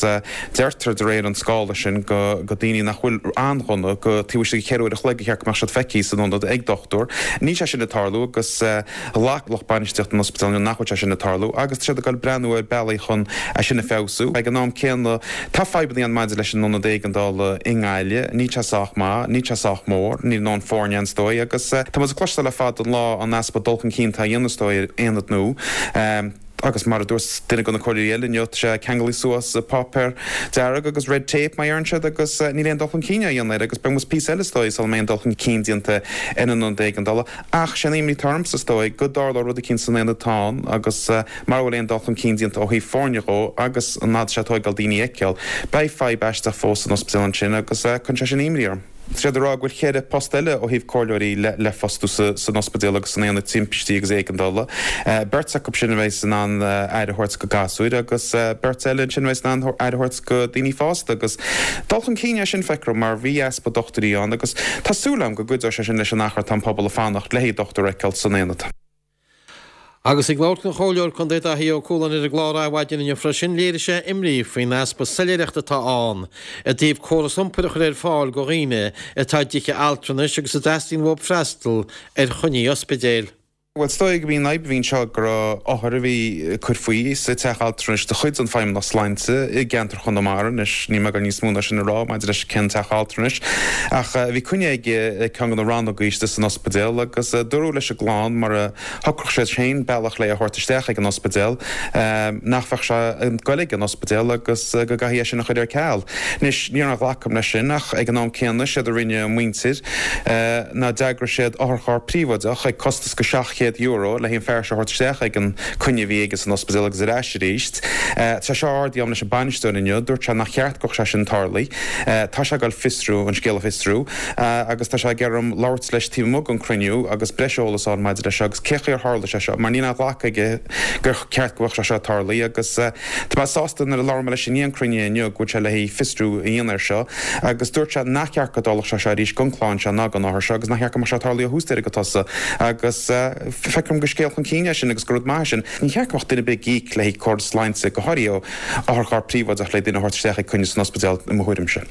deirtear de réir an scála sin go go daoine nach bhfuil an-dhona go taobh istigh de cheithre uair a chloig a cheart go mbeadh siad feicthe san ionad ag dochtúir. Níl sé sin ag tarlú agus ghlac lucht bainistíochta an ospidéil inniu nach bhfuil sé sin ag tarlú agus tá siad ag dul breathnú ar bealaí chun é sin a feabhsú. Ag an am céanna tá fadhbanna ann maidir leis an ionad éigeandála i nGaillimh, níl sé sách maith, níl sé sách mór, níl a ndóthain foirne ann is dóigh agus tá muid ag cloisteáil le fada an lá an easpa dul chun cinn atá á dhéanamh is dóigh ar aonad nua. Agus mar a dúirt duine de na comhairleoirí eile inniu, tá sé ceangailthe suas le páipéar dearg agus red tape mar a deireann siad agus níl aon dul chun cinn á dhéanamh air agus beidh muid píosa eile is dóigh sula mbeidh aon dul chun cinn déanta ar an ionad éigeandála. Ach sé an imní atá ormsa is dóigh go dtarlódh rud eicínt san aonad atá ann agus mara bhfuil aon dul chun cinn déanta ó thaobh foirne dhó agus an fhad is atá sé ag tóigeáil daoine a fheiceáil, beidh fadhb aisteach fós san ospidéal ansin agus cuireann sé sin imní orm. Tá siad ag rá go bhfuil ceithre post eile ó thaobh comhairleoirí le fostú san ospidéal agus san aonad timpistí agus éigeandála. Beirt acu sin a bheas in ann aire a thabhairt go gasúir agus beirt eile ansin a bheas in ann aire a thabhairt go daoine fásta agus dul chun cinn é sin feictear dom mar bhí easpa dochtúirí ann agus tá súil agam go gcuideoidh sé sin leis an achar atá an pobal ag fanacht le haghaidh dochtúir a fheiceáil san aonad. Agus ag labhairt don Chomhairleoir Contae Daithí Ó Cualáin ar an gclár Adhmhaidin inniu freisin, léirigh sé imní faoin easpa soiléireachta atá ann i dtaobh córas iompair a chur ar fáil go dhaoine atá i dtithe altranais agus a dteastaíonn uathu freastal ar choinní ospidéil. Bhuel, is dóigh gurb í an fhadhb a bhí anseo go raibh othar a bhí ag cur faoi sa teach altranais de chuid an Feidhmeannacht Sláinte i gceantar Chonamara, anois níl mé ag dul níos mó ná sin a rá maidir leis cén teach altranais, ach bhí coinne aige ag ceann de na rannógaí istigh san ospidéal agus dúradh leis an gclann mura shocródh siad féin bealach le é a thabhairt isteach ag an ospidéal, nach mbeadh sé ag goil ag an ospidéal agus go gcaithfí é sin a chur ar ceal. Anois, ní raibh aon ghlacadh agam leis sin ach ag an am céanna, séard a rinne a muintir ná d'eagraigh siad otharcharr príobháideach ag costas go seacht chéad euro le haghaidh an fear seo a thabhairt isteach ag an coinne a bhí aige san ospidéal agus ar ais arís. Tá sé seo ardaithe agam leis an bainisteoir inniu, dúirt sé nach cheart go mbeadh sé sin tarlaithe. Tá sé ag goil fiosrú, an scéal a fhiosrú agus tá sé ag iarraidh orm labhairt leis taobh amuigh den cruinniú agus breis eolas a fháil maidir leis seo agus cé chaoi ar tharla sé seo mar níl aon ghlacadh aige gur ceart go mbeadh sé seo tarlaithe agus tá mé sásta nuair a labhair mé leis i ndiaidh an cruinnithe inniu go bhfuil sé le haghaidh fiosrú a dhéanamh air seo agus dúirt sé nach ceart go dtarlódh sé seo arís don chlann seo ná don othar seo agus nach ceart go mbeadh sé tarlaithe ó thús deireadh go tosach agus feictear dom gur scéal chun cinn é sin agus gur rud maith é sin. Ní cheart go mbeadh duine ar bith ag íoc le haghaidh córas sláinte go háirithe ó otharcharr príobháideach le duine a thabhairt isteach ag coinne san ospidéal i mo thuairimse.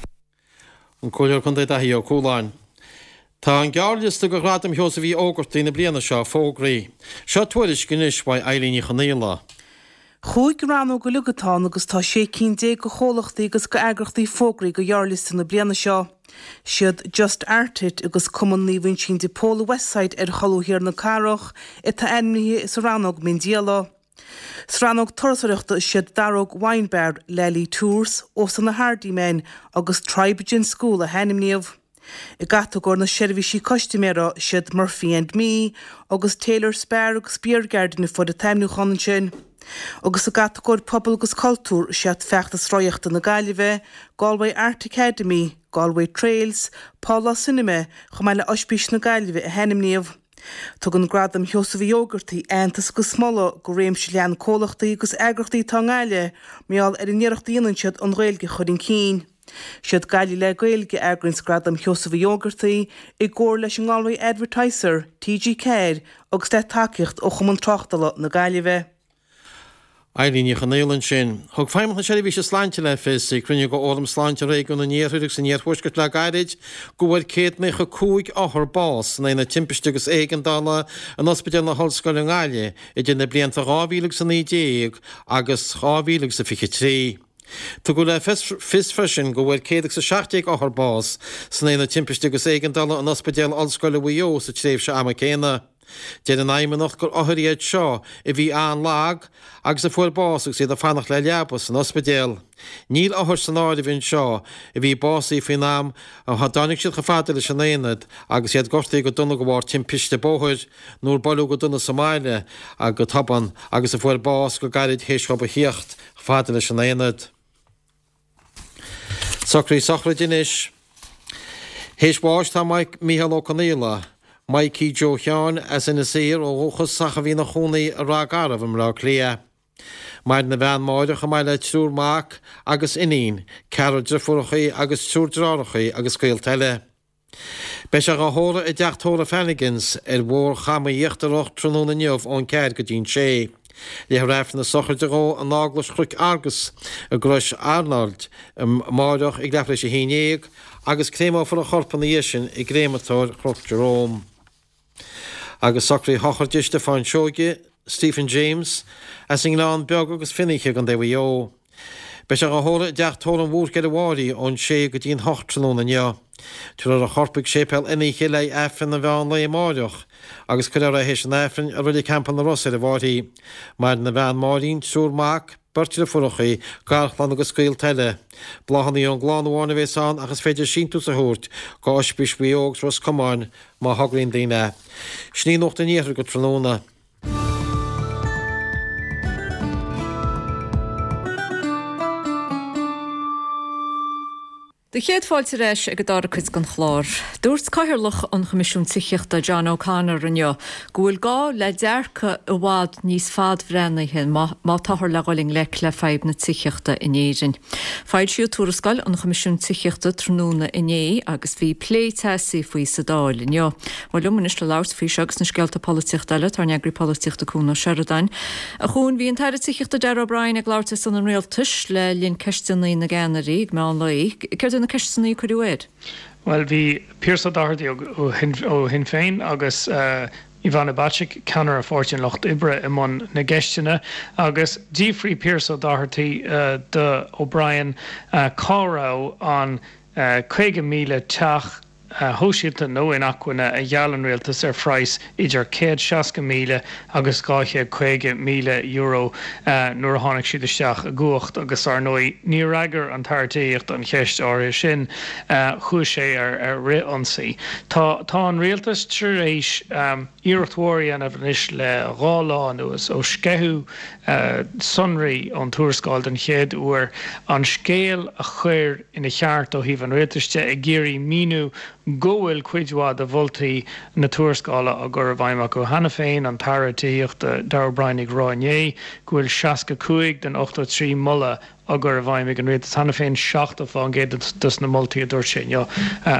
An Comhairleoir Contae Daithí Ó Cualáin. Tá an gearrliosta do Ghradaim Sheosaimh Uí Ógartaigh na bliana seo fógraithe. Seo tuairisc anois uaidh Eilín Ní Chonaola. Chúig rannóg uilig atá ann agus tá sé cinn déag de chomhlachtaí agus d'eagrachtaí fógraithe do ghearrliosta na bliana seo. Siad Just Art It agus Cumann Naomh Uinseann de Pól i Westside ar cholbha thiar na cathrach atá ainmnithe sa rannóg miondíola. Sa rannóg turasóireachta is iad Daróg Wine Bar, Lally Tours, Óstán na Hardiman agus Tribe Gin School a hainmníodh. I gcatagóir na seirbhísí custaiméara is iad Murphy and Me agus Taylor Spar agus Beer Garden a fuair an t-ainmniúchán ansin. Agus i gcatagóir pobal agus cultúr is iad Feachtas Rothaíochta na Gaillimhe, Galway Art Academy, Galway Trails, Pálás Cinema chomh maith le Oispís na Gaillimhe a hainmníodh. Tugann Gradam Sheosaimh Uí Ógartaigh aitheantas agus moladh do réimse leathan comhlachtaí agus eagrachtaí atá i nGaillimh mar gheall ar an iarracht a dhéanann siad an Ghaeilge a chur chun cinn. Siad Gaillimh le Gaeilge a eagraíonns Gradam Sheosaimh Uí Ógartaigh i gcomhar leis an nGalway Advertiser, T G ceathair agus le tacaíocht ó Chumann Tráchtála na Gaillimhe. Eilín Ní Chonaola ansin. Thug Feidhmeannacht na Seirbhíse Sláinte le fios ag cruinniú de Fhóram Sláinte Réigiún an Iarthair agus an Iarthuaiscirt le gairid go bhfuair céad naocha cúig othar bás san Aonad Timpiste agus Éigeandála in Ospidéal na hOllscoile i nGaillimh idir na blianta dhá mhíle agus a naoi déag agus dhá mhíle agus a fiche trí. Tugadh le fios freisin go bhfuair céad agus a seacht déag othar bás san Aonad Timpiste agus Éigeandála in Ospidéal Ollscoile Mhaigh Eo sa tréimhse ama céanna. Deir an Fheidhmeannacht gur othair iad seo a bhí an-lag agus a fuair bás agus iad ag fanacht le leaba san ospidéal. Níl othair san áireamh anseo a bhí básaithe faoin am a dtáinig siad chomh fada leis an aonad agus iad gortaithe go dona de bharr timpiste bóthair nó ar buaileadh go dona sa mbaile go tobann agus a fuair bás go gairid théis dhóibh a thíocht chomh fada leis an aonad. Socruithe sochraide anois. Théis bháis tá Mícheál Ó Conaola, Mikey Joe Sheáin, as Inis Oírr ó dhúchas ach a bhí ina chónaí i Ráth Garbh i mBleá Cliath. Maireann a bhean Máire chomh maith le triúr mac agus iníon, ceathrar driofúrachaí agus triúr deartháireachaí agus gaolta eile. Beidh sé dhá thórramh i dteach tórraimh Flanagan's ar Bhóthar Chama Íochtarach tráthnóna inniu ón ceathair go dtí'n sé. Léifear Aifreann na sochraide dhó in Eaglais Chnoic Argus i gCrois Araild amáireach ag leathuair tar éis a haon dhéag agus créamófar a chorp ina dhiaidh sin i gcréamatóir Chnoc Jerome. Agus socruithe sochraide Stiofáin Seoige, Stephen James, as an nGleann Beag agus Fionnaithe i gContae Mhaigh Eo. Beidh sé dhá thórramh i dteach tórraimh an Bhúirc ar an bhFairche ón sé go dtí'n hocht tráthnóna inniu. Tabharfar a chorp chuig Séipéal Fhionnaithe le haghaidh Aifreann an mheán lae amáireach agus cuirfear é théis an Aifrinn i Reilig Theampall na Ros ar an bhFairche. Maireann a bhean Máirín, triúr mac, beirt driofúrachaí, garchlann agus gaolta eile. Bláthanna ón gclann amháin a bhéas ann ach is féidir síntiús a thabhairt go Ospís Mhaigh Eo agus Ros Comáin má thograíonn daoine é. Sin í Nuacht an Iarthair go tráthnóna. Do chéad fáilte ar ais ag an dara cuid den chlár. Dúirt Cathaoirleach an Choimisiúin Tithíochta John O'Connor inniu go bhfuil gá le dearcadh i bhfad níos fadbhreathnaithe má táthar le dhul i ngleic le fadhb na tithíochta in Éirinn. Foilsíodh tuarascáil an Choimisiúin Tithíochta tráthnóna inné agus bhí plé teasaí faoi sa Dáil inniu. Bhuel liom anois le labhairt faoi seo agus na scéalta polaitíochta eile tá ár n-eagraí polaitíochta Cuan Ó Seireadáin. A Chuain, bhí an tAire Tithíochta Darragh O'Brien ag labhairt ar son an Rialtais le linn ceisteanna na gceannairí ag meán lae. Céard iad na ceisteanna a cuireadh air? Bhuel, bhí Pearse Ó Doherty ó Shinn Féin agus Ivana Bacik, ceannaire Pháirtí an Lucht Oibre, i mbun na gceisteanna agus d'fhiafraigh Pearse Ó Doherty de O'Brien cá raibh an caoga míle teach shóisialta nó inacmhainne a gheall an rialtas ar phraghas idir céad seasca míle agus dhá chéad caoga míle euro nuair a tháinig siad isteach i gcumhacht agus ar ndóigh níor fhreagair an tAire Tithíochta an cheist áirithe sin, chuaigh sé ar fhrith-ionsaí. Tá tá an rialtas tar éis iarracht mhór a dhéanamh anois le dhá lá anuas ó sceitheadh sonraí ón tuarascáil den chéad uair an scéal a chur ina cheart ó thaobh an rialtais de, ag iarraidh míniú go bhfuil cuid mhaith de mholtaí na tuarascála á gcur i bhfeidhm acu cheana féin, an tAire Tithíochta Darragh O'Brien ag rá inné go bhfuil seasca cúig den ochtó trí moladh á gcur i bhfeidhm ag an rialtas cheana féin, seachtó fán gcéad dos na moltaí a dúirt sé inniu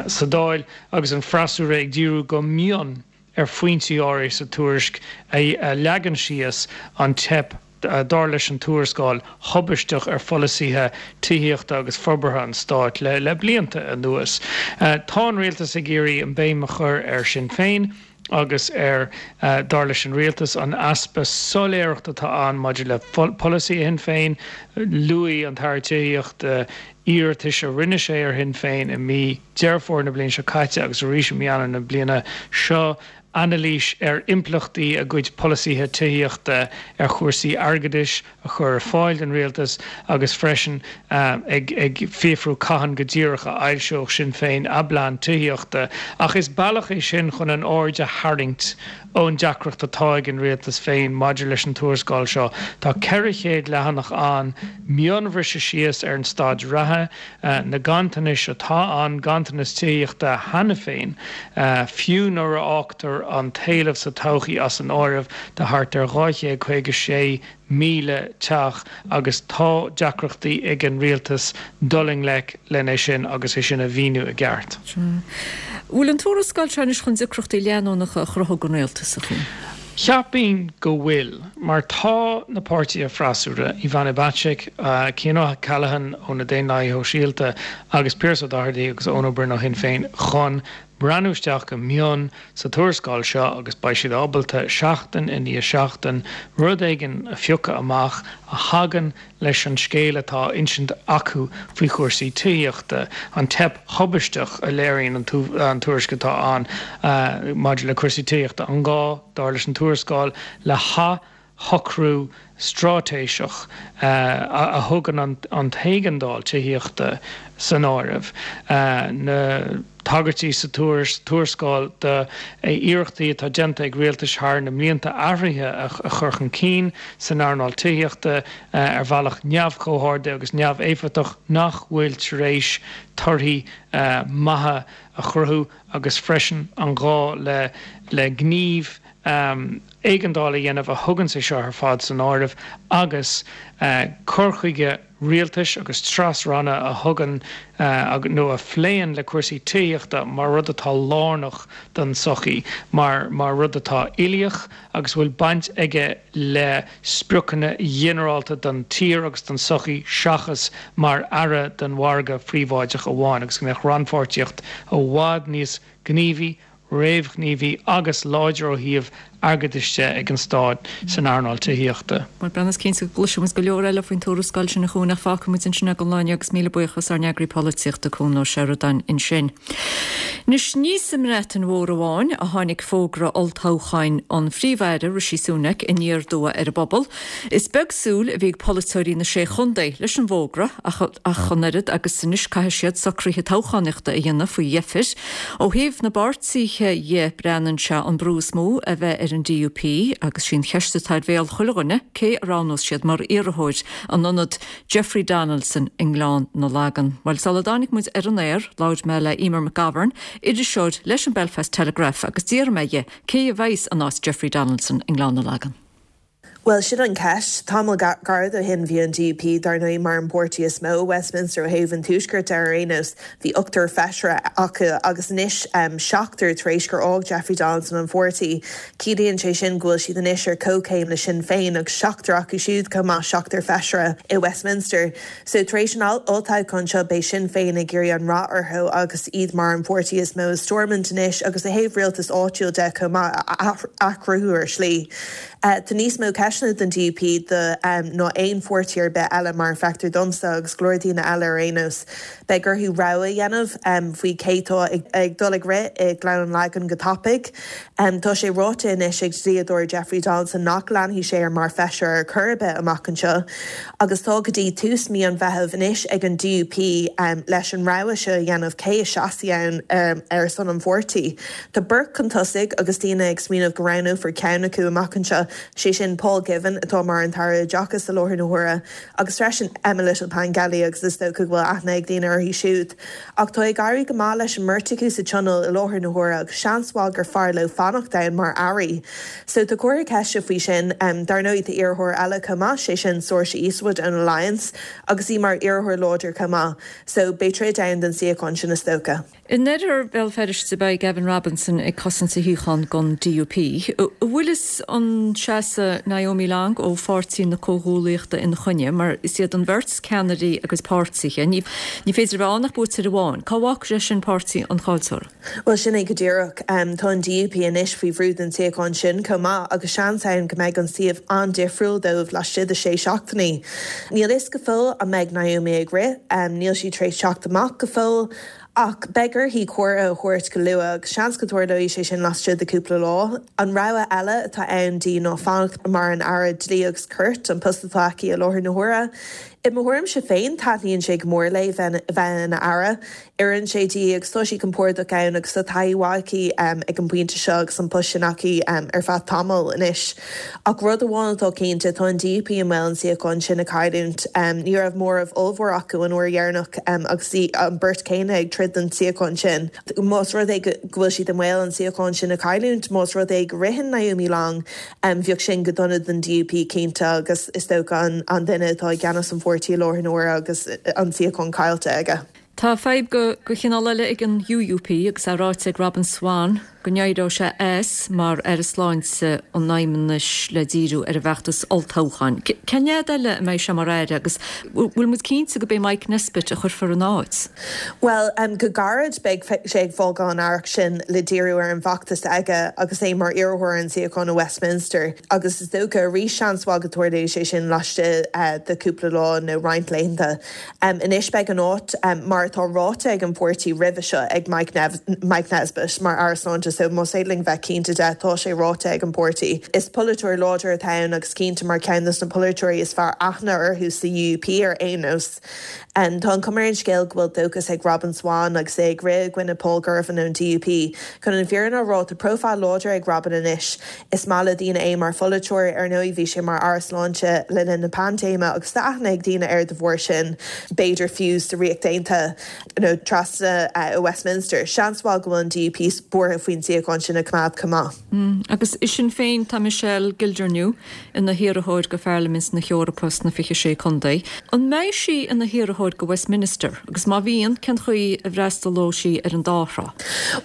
sa Dáil, agus an freasúra ag díriú go mion ar phointí áirithe sa tuairisc a leagann síos an teip, dar leis an tuarascáil, thubaisteach ar pholasaithe tithíochta agus forbartha an stáit le blianta anuas. Tá an rialtas ag iarraidh an béim a chur ar Sinn Féin agus ar, dar leis an rialtas, an easpa soiléireachta atá ann maidir le polasaithe Shinn Féin. Luaigh an tAire Tithíochta iarratais a rinne sé ar Shinn Féin i mí Deireadh Fómhair na bliana seo caite agus arís i mí Eanáir na bliana seo, anailís ar impleachtaí a gcuid polasaithe tithíochta ar chúrsaí airgeadais a chur ar fáil don rialtas agus freisin ag ag fiafrú cathain go díreach a fhoilseodh Sinn Féin a bplean tithíochta. Ach is bealach é sin chun an aird a tharraingt ón deacracht atá ag an rialtas féin maidir leis an tuarascáil seo. Tá ceithre chéad leathanach ann, mionbhriseadh síos ar an staid reatha, na ganntanais atá ann, ganntanas tithíochta cheana féin, fiú nuair a fhágtar an t-éileamh sa todhchaí as an áireamh, de thart ar dhá chéad caoga sé míle teach agus tá deacrachtaí ag an rialtas dul i ngleic lena sin agus é sin a mhíniú i gceart. Bhfuil an tuarascáil seo anois chun deacrachtaí leanúnacha a chruthú don rialtas, a Chuain? Cheapfainn go bhfuil, mar tá na páirtithe freasúra, Ivana Bacik, Cian O'Callaghan ó na Daonlathaithe Shóisialta agus Pearse Doherty agus Eoin Ó Broin ó Shinn Féin chun breathnú isteach go mion sa tuarascáil seo agus beidh siad ábalta seachtain i ndiaidh seachtain rud éigin a phiocadh amach a thagann leis an scéal atá á insint acu faoi chúrsaí tithíochta, an teip thubaisteach a léiríonn an tuairisc atá ann maidir le cúrsaí tithíochta, an gá, dar leis an tuarascáil, le hathshocrú straitéiseach a thugann an t-éigeandáil tithíochta san áireamh, na tagairtí sa tuarascáil d'iarrachtaí atá déanta ag rialtais thar na mblianta athruithe a chur chun cinn san earnáil tithíochta ar bhealach neamhchomhordaithe agus neamhéifeachtach nach bhfuil tar éis torthaí maithe a chruthú agus freisin an gá le gníomh éigeandála a dhéanamh a thugann sé seo ar fad san áireamh agus cur chuige rialtais agus tras-ranna a thugann nó a phléann le cúrsaí tithíochta mar rud atá lárnach don tsochaí, mar mar rud atá uilíoch agus a bhfuil baint aige le spriocanna ginearálta don tír agus don tsochaí seachas mar earra don mhargadh phríobháideach amháin agus go mbeadh rannpháirtíocht i bhfad níos gníomhaí réamhghníomhaí agus láidir ó thaobh airgeadais de ag an stát san earnáil tithíochta. Bhuel, Breandán, is cinnte go gcloisfidh muid go leor eile faoin tuarascáil sin a Chuain ach fágfaidh muid ansin é don lá inniu agus míle buíochas ár n-eagraí polaitíochta Cuan Ó Seireadáin ansin. Anois, ní sa mBreatain Mhór amháin a tháinig fógra olltoghcháin an Phríomh-Aire Rishi Sunak aniar aduaidh ar an bpobal. Is beag súil a bhí ag polaiteoirí na Sé Chontae leis an bhfógra ach an oiread agus anois caithfidh siad socruithe toghchánaíochta a dhéanamh faoi dheifir. Ó thaobh na bpáirtithe dhe breathnaíonn sé an brú is mó a bheith ar an DUP agus sí an cheist atá ar bhéal chuile dhuine cé a roghnós siad mar iarrthóir in ionad Jeffrey Donaldson i nGleann na Lagan. Bhuel, sula dtáinig muid ar an aer, labhair mé le Emer McGovern, iriseoir leis an Belfast Telegraph agus d'fhiafraigh mé dhe cé a bheas in áit Jeffrey Donaldson i nGleann na Lagan. Bhuel, sin an cheist. Tamall gairid ó shin bhí an DUP dar ndóigh mar an páirtí is mó i Westminster ó thaobh an Tuaiscirt de ar aon nós. Bhí ochtar feisire acu agus anois seachtar tar éis gur fhág Jeffrey Donaldson an pháirtí. Ciallaíonn sé sin go bhfuil siad anois ar comhchéim le Sinn Féin agus seachtar acu siúd chomh maith, seachtar feisire i Westminster. So tar éis an olltoghcháin seo beidh Sinn Féin ag iarraidh an rath orthu agus iad mar an pháirtí is mó i Stormont anois agus ó thaobh rialtas áitiúil de chomh maith a athchruthú ar shlí. Tá níos mó ceisteanna don DUP ná aon pháirtí ar bith eile mar a feictear domsa agus go leor daoine eile ar aon nós. Beidh orthu rogha a dhéanamh faoi cé atá ag dul ag rith i nGleann na Lagan go tapaidh. Tá sé ráite anois ag dlíodóir Jeffrey Donaldson nach leanfaidh sé air mar feisire ar chor ar bith amach anseo agus tá go dtí tús mí an Mheithimh anois ag an DUP leis an rogha seo a dhéanamh cé a seasfaidh ann ar son an pháirtí. Tá beirt chun tosaigh agus daoine ag smaoineamh go roghnófar ceann acu amach anseo, sé sin Paul Givan atá mar an tAire Oideachais i láthair na huaire agus freisin Emma Little-Pengelly agus is dócha go bhfuil aithne ag daoine uirthi siúd. Ach tá ag éirí go maith leis an mbeirt acu sa Tionól i láthair na huaire agus seans mhaith gur fearr leo fanacht ann mar airí. So tá comhartha ceiste faoi sin. Dar ndóigh tá iarrthóir eile chomh maith, sé sin Saoirse Eastwood ón Alliance agus í mar iarrthóir láidir chomh maith. So beidh troid ann don suíochán sin is dócha. In oirthear Bhéal Feirste beidh Gavin Robinson ag cosaint a shuíochán don DUP. An bhfuil fhios an seasfaidh Naomi Long ó Pháirtí na Comhghuaillíochta ina choinne mar is iad an bheirt ceannairí a gcuid páirtithe. Ní féidir a bheith ann ach buaiteoir amháin. Cá bhfágfaidh sé sin páirtí an chaillteora? Bhuel sin é go díreach. Tá an DUP anois faoi bhrú don suíochán sin chomh maith agus seans ann go mbeidh an suíomh an-difriúil dóibh laistigh de sé seachtainí. Níl fhios go fóill an mbeidh Naomi ag rith. Níl sí tar éis teacht amach go fóill. Ach beidh uirthi comhartha a thabhairt go luath agus seans go dtarlóidh sé sin laistigh de cúpla lá. An rogha eile atá ann di ná fanacht mar an Aire Dlí agus Cirt, an post atá aici i láthair na huaire. I mo thuairimse féin, taitníonn sé go mór léi bheith ina Aire. Oireann sé di agus tá sí compordach ann agus tá taithí mhaith aici ag an bpointe seo agus an post sin aici ar feadh tamaill anois. Ach rud amháin atá cinnte, tá an DUP i mbaol an suíochán sin a chailliúint. Ní raibh móramh ollmhór acu an uair dheireanach agus an beirt céanna ag troid don suíochán sin. Más rud é go bhfuil siad i mbaol an suíochán sin a chailliúint, más rud é go ritheann Naomi Long, bheadh sin go dona don DUP cinnte agus is dócha an duine atá i gceannas an pháirtí i láthair na huaire agus an suíochán caillte aige. Tá fadhb de chineál eile ag an UUP agus é ráite ag Robin Swann go n-éireodh sé as mar Aire Sláinte an Fheidhmeannais le díriú ar an bhfeachtas olltoghcháin. Cén fhad eile a mbeidh sé mar aire agus bhfuil muid cinnte gurb é Mike Nesbitt a chuirfear ina áit? Bhuel, go gairid beidh sé ag fágáil an aireacht sin le díriú ar an bhfeachtas aige agus é mar iarrthóir ar an suíochán i Westminster agus is dócha arís seans mhaith go dtarlóidh sé sin laistigh de cúpla lá nó roinnt laethanta. Anois beidh an áit mar atá ráite ag an pháirtí roimhe seo ag Mike Mike Nesbitt mar Aire Sláinte so más féidir linn bheith cinnte de tá sé ráite ag an bpáirtí. Is polaiteoir láidir atá ann agus cinnte mar ceann de na polaiteoirí is fearr aithne orthu sa U U P ar aon nós. Tá an chuma ar an scéal go bhfuil dóchas ag Robin Swann agus é ag rith i gcoinne Paul Girvan ón D U P. Chun an fhírinne a rá, tá profile láidir ag Robin anois. Is maith le daoine é mar pholaiteoir, ar ndóigh bhí sé mar Aire Sláinte le linn na paindéime agus tá aithne ag daoine air de bharr sin, b'fhéidir fiú sa Ríocht Aontaithe nó trasna i Westminster. Seans mhaith go bhfuil an D U P buartha faoin suíochán sin a choimeád chomh maith. Agus i Sinn Féin tá Michelle Gildernew ina hiarrthóir go Pharlaimint na hEorpa sna fiche sé contae. An mbeidh sí ina hiarrthóir go Westminster agus má bhíonn, cén chaoi a bhfreastalóidh sí ar an dá thrá?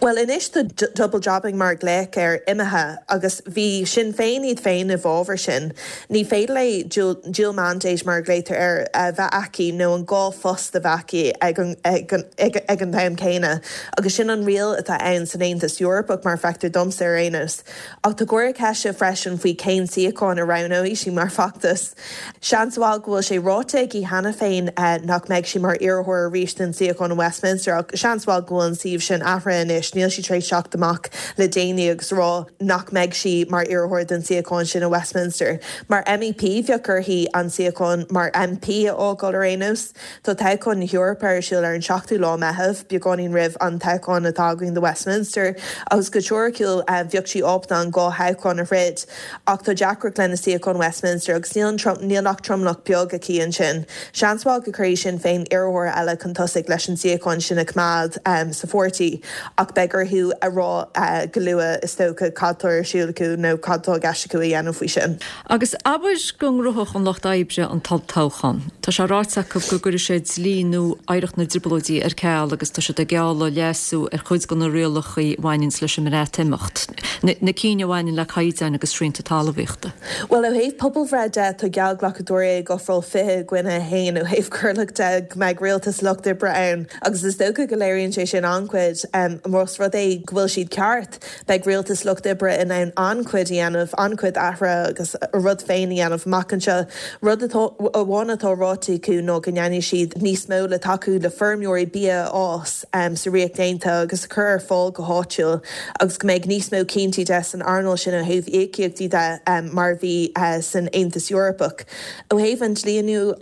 Bhuel anois tá double jobbing mar a glaodh air imithe agus bhí Sinn Féin iad féin i bhfabhar sin. Ní féidir léi dual mandate mar a ghlaotar air a bheith aici nó an dhá phost a bheith aici ag an ag an am céanna agus sin an riail atá ann san Aontas Eorpach mar feictear domsa ar aon nós. Ach tá comhartha ceiste freisin faoi cén suíochán a roghnóidh sí mar fheachtas. Seans mhaith go bhfuil sé ráite aici cheana féin nach mbeidh sí mar iarrthóir arís don suíochán in Westminster ach seans mhaith go bhfuil an suíomh sin athraithe anois, níl sí tar éis teacht amach le déanaí agus rá nach mbeidh sí mar iarrthóir don suíochán sin i Westminster. Mar M E P bheadh uirthi an suíochán mar M P a fhágáil ar aon nós. Tá toghchán na hEorpa ar siúl ar an seachtú lá Meitheamh, beagáinín roimh an toghchán atá againn do Westminster agus go teoiriciúil bheadh sí ábalta an dhá thoghchán a throid ach tá deacracht lena suíochán Westminster agus níl níl ach tromlach beag aici ansin. Seans mhaith go gcuirfidh Sinn Féin iarrthóir eile chun tosaigh leis an suíochán sin a choimeád um, sa pháirtí ach beidh orthu a rá uh, go luath is dócha cad tá ar siúl acu nó cad tá i gceist acu a dhéanamh faoi sin. Agus abair go ngnóthódh an Lucht Oibre an tolltoghchán. Tá sé ráite acu go gcuirfidh sé dlí nua oidhreacht na dTrioblóidí ar ceal agus tá siad ag gealladh leasú ar chuid de na rialacha a bhaineann leis an mBreatimeacht. Na cinn a bhaineann le caighdeáin agus srianta talmhaíochta. Well ó thaobh pobalbhreith de tá geallghlacadóirí ag ofráil fiche i gcoinne a haon ó thaobh corrlach de go mbeidh rialtas Lucht Oibre ann agus is dócha go léiríonn sé sin an-chuid um, más rud é go bhfuil siad ceart beidh rialtas Lucht Oibre in ann an-chuid a dhéanamh an-chuid athruithe agus a rud féin a dhéanamh amach anseo. Rud amháin atá ráite acu ná go ndéanfaidh siad níos mó le tacú le feirmeoirí bia a fhás um, sa Ríocht Aontaithe agus cur ar fáil go háitiúil agus go mbeidh níos mó cinnteachta de san earnáil sin ó thaobh íocaíochtaí de um, mar bhí uh, san Aontas Eorpach. Ó thaobh an dlí nua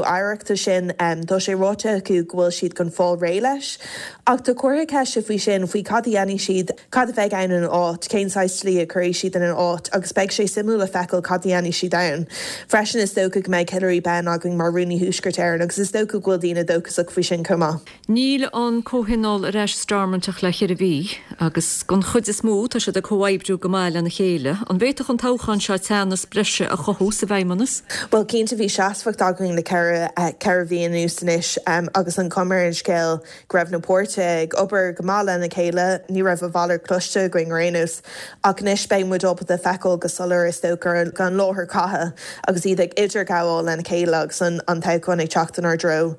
oidhreachta sin um, tá sé ráite acu go bhfuil siad chun fáil réidh leis. Ach tá comhartha ceiste faoi sin faoi cad a dhéanfaidh siad cad a bheidh ann ina áit, cén saghas dlí a chuirfidh siad ina áit agus beidh sé suimiúil le feiceáil cad a dhéanfaidh siad ann. Freisin is dócha go mbeidh Hilary Benn againn mar rúnaí Thuaisceart Éireann agus is dócha go bhfuil daoine dóchasach faoi sin chomh maith. Níl an comhthionól ar ais Stormont ach le ceithre mhí agus den chuid is mó tá siad ag comhoibriú go maith lena chéile. An bhféadfadh an toghchán seo teannas breise a chothú sa bhFeidhmeannas? Well cinnte bhí seasmhacht againn le ceithre ceithre mhí anuas anois um, agus an chuma ar an scéal go raibh na páirtithe ag obair go maith lena chéile, ní raibh a mhalairt cloiste againn ar aon nós. Ach anois beidh muid ábalta feiceáil go soiléir is dócha gan láthair catha agus iad ag idirghabháil lena chéile agus an, an toghchán ag teacht inár dtreo.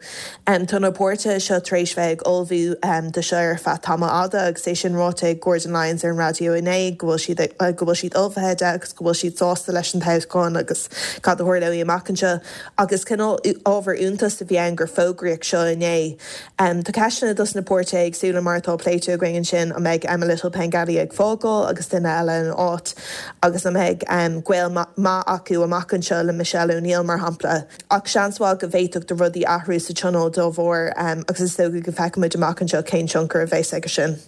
Um, tá na páirtithe seo tar éis bheith ag ullmhú um, do seo ar feadh tamall fada agus é sin ráite ag Gordon Lyons ar an raidió inné go bhfuil siad uh, go bhfuil siad ullmhaithe de agus go bhfuil siad sásta leis an toghchán agus cad a tharlóidh amach anseo agus cineál ábhar iontais a bhí ann gur fógraíodh seo inné. Um, tá ceisteanna dos na páirtithe éagsúla mar atá pléite againn sin an mbeidh Emma Little Pengelly ag fágáil agus duine eile ina áit agus an mbeidh um, gaol maith acu amach anseo le Michelle O'Neill mar shampla. Ach seans maith go bhféadfadh do rudaí athrú sa tionól dá bharr um, agus is dócha go bhfeicfimid amach anseo cén tionchar a bheas aige sin.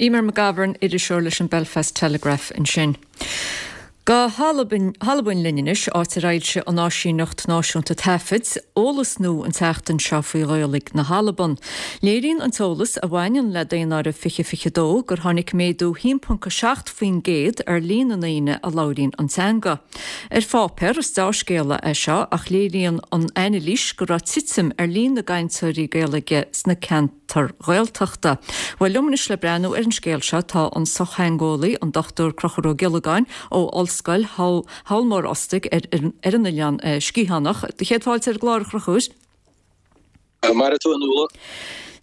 Eimear McGovern iriseoir leis an Belfast Telegraph ansin. Go hAlbain linn anois áit ar fhoilsigh an Áisíneacht Náisiúnta Taifid, eolas nua an tseachtain seo faoi Ghaeilge na hAlban. Léiríonn an t-eolas a bhaineann le daonáireamh fiche fiche dó gur tháinig méadú haon ponc a seacht faoin gcéad ar líon na ndaoine a labhraíonn an teanga. Ar pháipéar is dea-scéala é seo ach léiríonn an anailís go raibh titim ar líon na gcainteoirí Gaeilge sna ceantair cheantair Ghaeltachta. Bhuel liom anois le breathnú ar an scéal seo tá an sochtheangeolaí an Dochtúir Conchúr Ó Giollagáin ó Ollscoil Sabhal Mòr Ostaig ar ar an Oileán Sciathánach. Do chéad fáilte ar an gclár a Chonchúir. Mairfidh tú a Nuala.